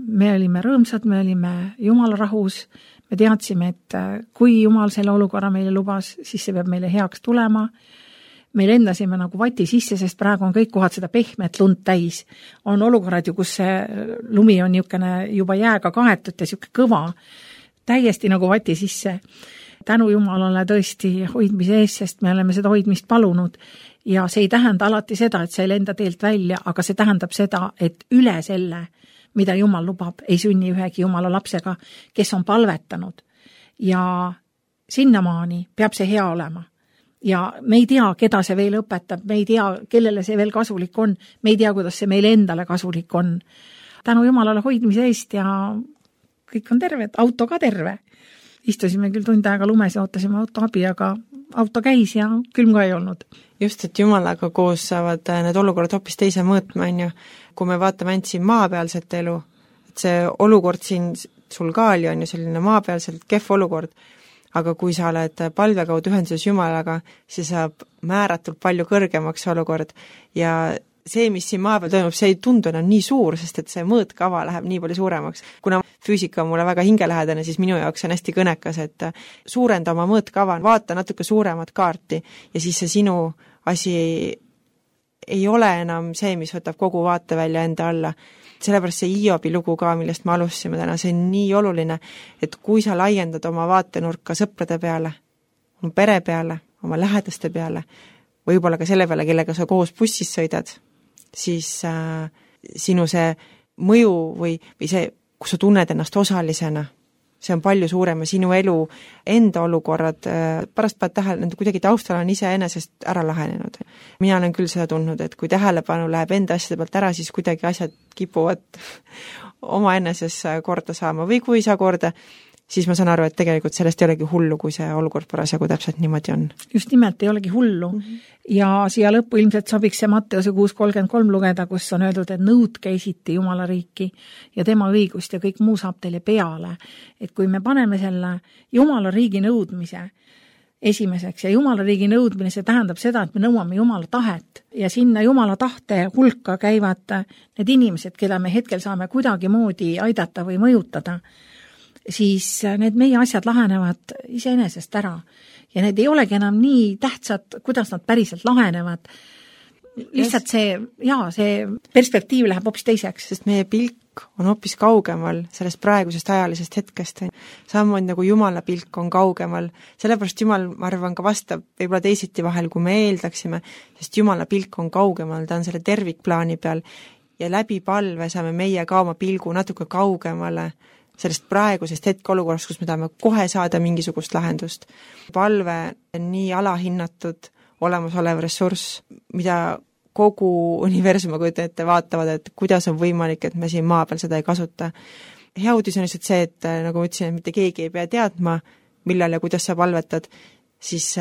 me olime rõõmsad, me olime Jumala rahus, me teadsime, et kui Jumal selle olukorra meile lubas, siis see peab meile heaks tulema. Me lendasime nagu vati sisse, sest praegu on kõik kohad seda pehmet lund täis. On olukorrad ju, kus see lumi on niisugune juba jääga kaetud ja niisugune kõva, täiesti nagu vati sisse. Tänu Jumalale tõesti hoidmise ees, sest me oleme seda hoidmist palunud. Ja see ei tähenda alati seda, et see ei lenda teelt välja, aga see tähendab seda, et üle selle, mida Jumal lubab, ei sünni ühegi Jumala lapsega, kes on palvetanud. Ja sinnamaani peab see hea olema. Ja me ei tea, keda see veel õpetab, me ei tea, kellele see veel kasulik on, me ei tea, kuidas see meile endale kasulik on. Tänu Jumalale hoidmise eest ja kõik on terved, auto ka terve. Istusime küll tund aega lumes ja ootasime auto abi, aga auto käis ja külm ka ei olnud. Just, et Jumalaga koos saavad need olukorrad hoopis teise mõõtma, on ju. Kui me vaatame ainult siin maapealset elu, et see olukord siin sul ka oli, on ju selline maapealselt kehv olukord, aga kui sa oled palve kaudu ühenduses Jumalaga, siis saab määratult palju kõrgemaks olukord ja see, mis siin maa peal toimub, see ei tundu enam nii suur, sest et see mõõtkava läheb nii palju suuremaks. Kuna füüsika on mulle väga hingelähedane, siis minu jaoks on hästi kõnekas, et suurenda oma mõõtkava, vaata natuke suuremat kaarti ja siis see sinu asi ei ole enam see, mis võtab kogu vaatevälja enda alla. Sellepärast see Hiobi lugu ka, millest me alustasime täna, see on nii oluline, et kui sa laiendad oma vaatenurka sõprade peale, oma pere peale, oma lähedaste peale, võib-olla ka selle peale, kellega sa koos bussis sõidad, siis sinu see mõju või see, kus sa tunned ennast osalisena, see on palju suurem ja sinu elu enda olukorrad, pärast paned tähele, nende kuidagi taustal on iseenesest ära lahenenud. Mina olen küll seda tundnud, et kui tähelepanu läheb enda asjade pealt ära, siis kuidagi asjad kipuvad oma enneses korda saama või kui ei saa korda, siis ma saan aru, et tegelikult sellest ei olegi hullu, kui see olukord parasjagu täpselt niimoodi on. Just nimelt ei olegi hullu. Ja siia lõppu ilmselt sobiks see Matteuse 6.33 lugeda, kus on öeldud, et nõudke esiti Jumala riiki ja tema õigust ja kõik muu saab teile peale. Et kui me paneme selle Jumala riigi nõudmise esimeseks ja Jumala riigi nõudmine, see tähendab seda, et me nõuame Jumala tahet ja sinna Jumala tahte hulka käivad need inimesed, keda me hetkel saame kuidagi moodi aidata või mõjutada, siis need meie asjad lahenevad iseenesest ära. Ja need ei olegi enam nii tähtsad, kuidas nad päriselt lahenevad. Lihtsalt see perspektiiv läheb hoopis teiseks. Sest meie pilk on hoopis kaugemal sellest praegusest ajalisest hetkest. Samamoodi nagu Jumala pilk on kaugemal. Sellepärast Jumal, ma arvan, ka vastab võib-olla teisiti vahel, kui me eeldaksime, sest Jumala pilk on kaugemal, ta on selle tervikplaani peal ja läbi palve saame meie ka oma pilgu natuke kaugemale sellest praegusest hetkeolukorrast, kus me tahame kohe saada mingisugust lahendust. Palve on nii alahinnatud olemasolev ressurss, mida kogu universum, kui te vaatavad, et kuidas on võimalik, et me siin maa peal seda ei kasuta. Hea uudis on lihtsalt see, et nagu ma ütlesin, et mitte keegi ei pea teadma, millal ja kuidas sa palvetad, siis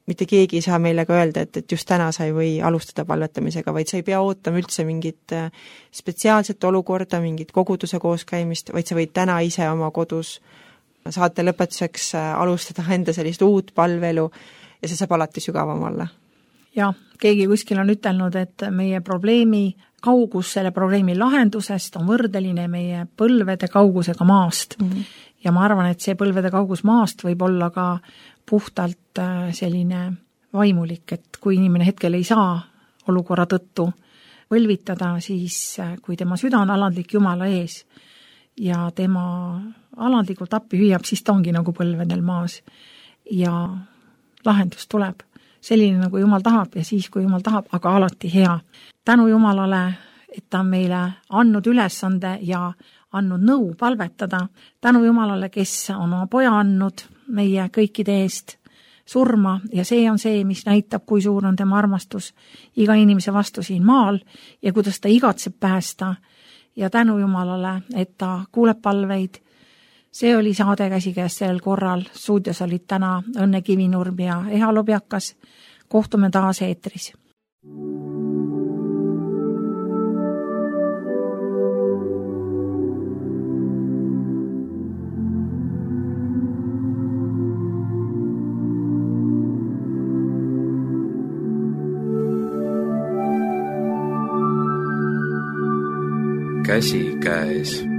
mitte keegi ei saa meile ka öelda, et just täna sa ei või alustada palvetamisega, vaid sa ei pea ootama üldse mingit spetsiaalset olukorda, mingit koguduse kooskäimist, vaid sa võid täna ise oma kodus saate lõpetuseks alustada enda sellist uut palvelu ja see saab alati sügavam olla. Ja keegi kuskil on ütelnud, et meie probleemi kaugus selle probleemi lahendusest on võrdeline meie põlvede kaugusega maast. Ja ma arvan, et see põlvede kaugus maast võib olla ka puhtalt selline vaimulik, et kui inimene hetkel ei saa olukorra tõttu võlvitada, siis kui tema süda on alandlik Jumala ees ja tema alandlikult appi hüüab, siis ta ongi nagu põlvedel maas ja lahendus tuleb. Selline nagu Jumal tahab ja siis, kui Jumal tahab, aga alati hea. Tänu Jumalale, et ta on meile andnud ülesande ja andnud nõu palvetada. Tänu Jumalale, kes on oma poja andnud meie kõikide eest surma ja see on see, mis näitab, kui suur on tema armastus iga inimese vastu siin maal ja kuidas ta igatseb päästa. Ja tänu Jumalale, et ta kuuleb palveid. See oli saade Käsikäes sellel korral. Stuudios olid täna Õnne Kivinurm ja Eha Lobjakas. Kohtume taas eetris. käsi käes.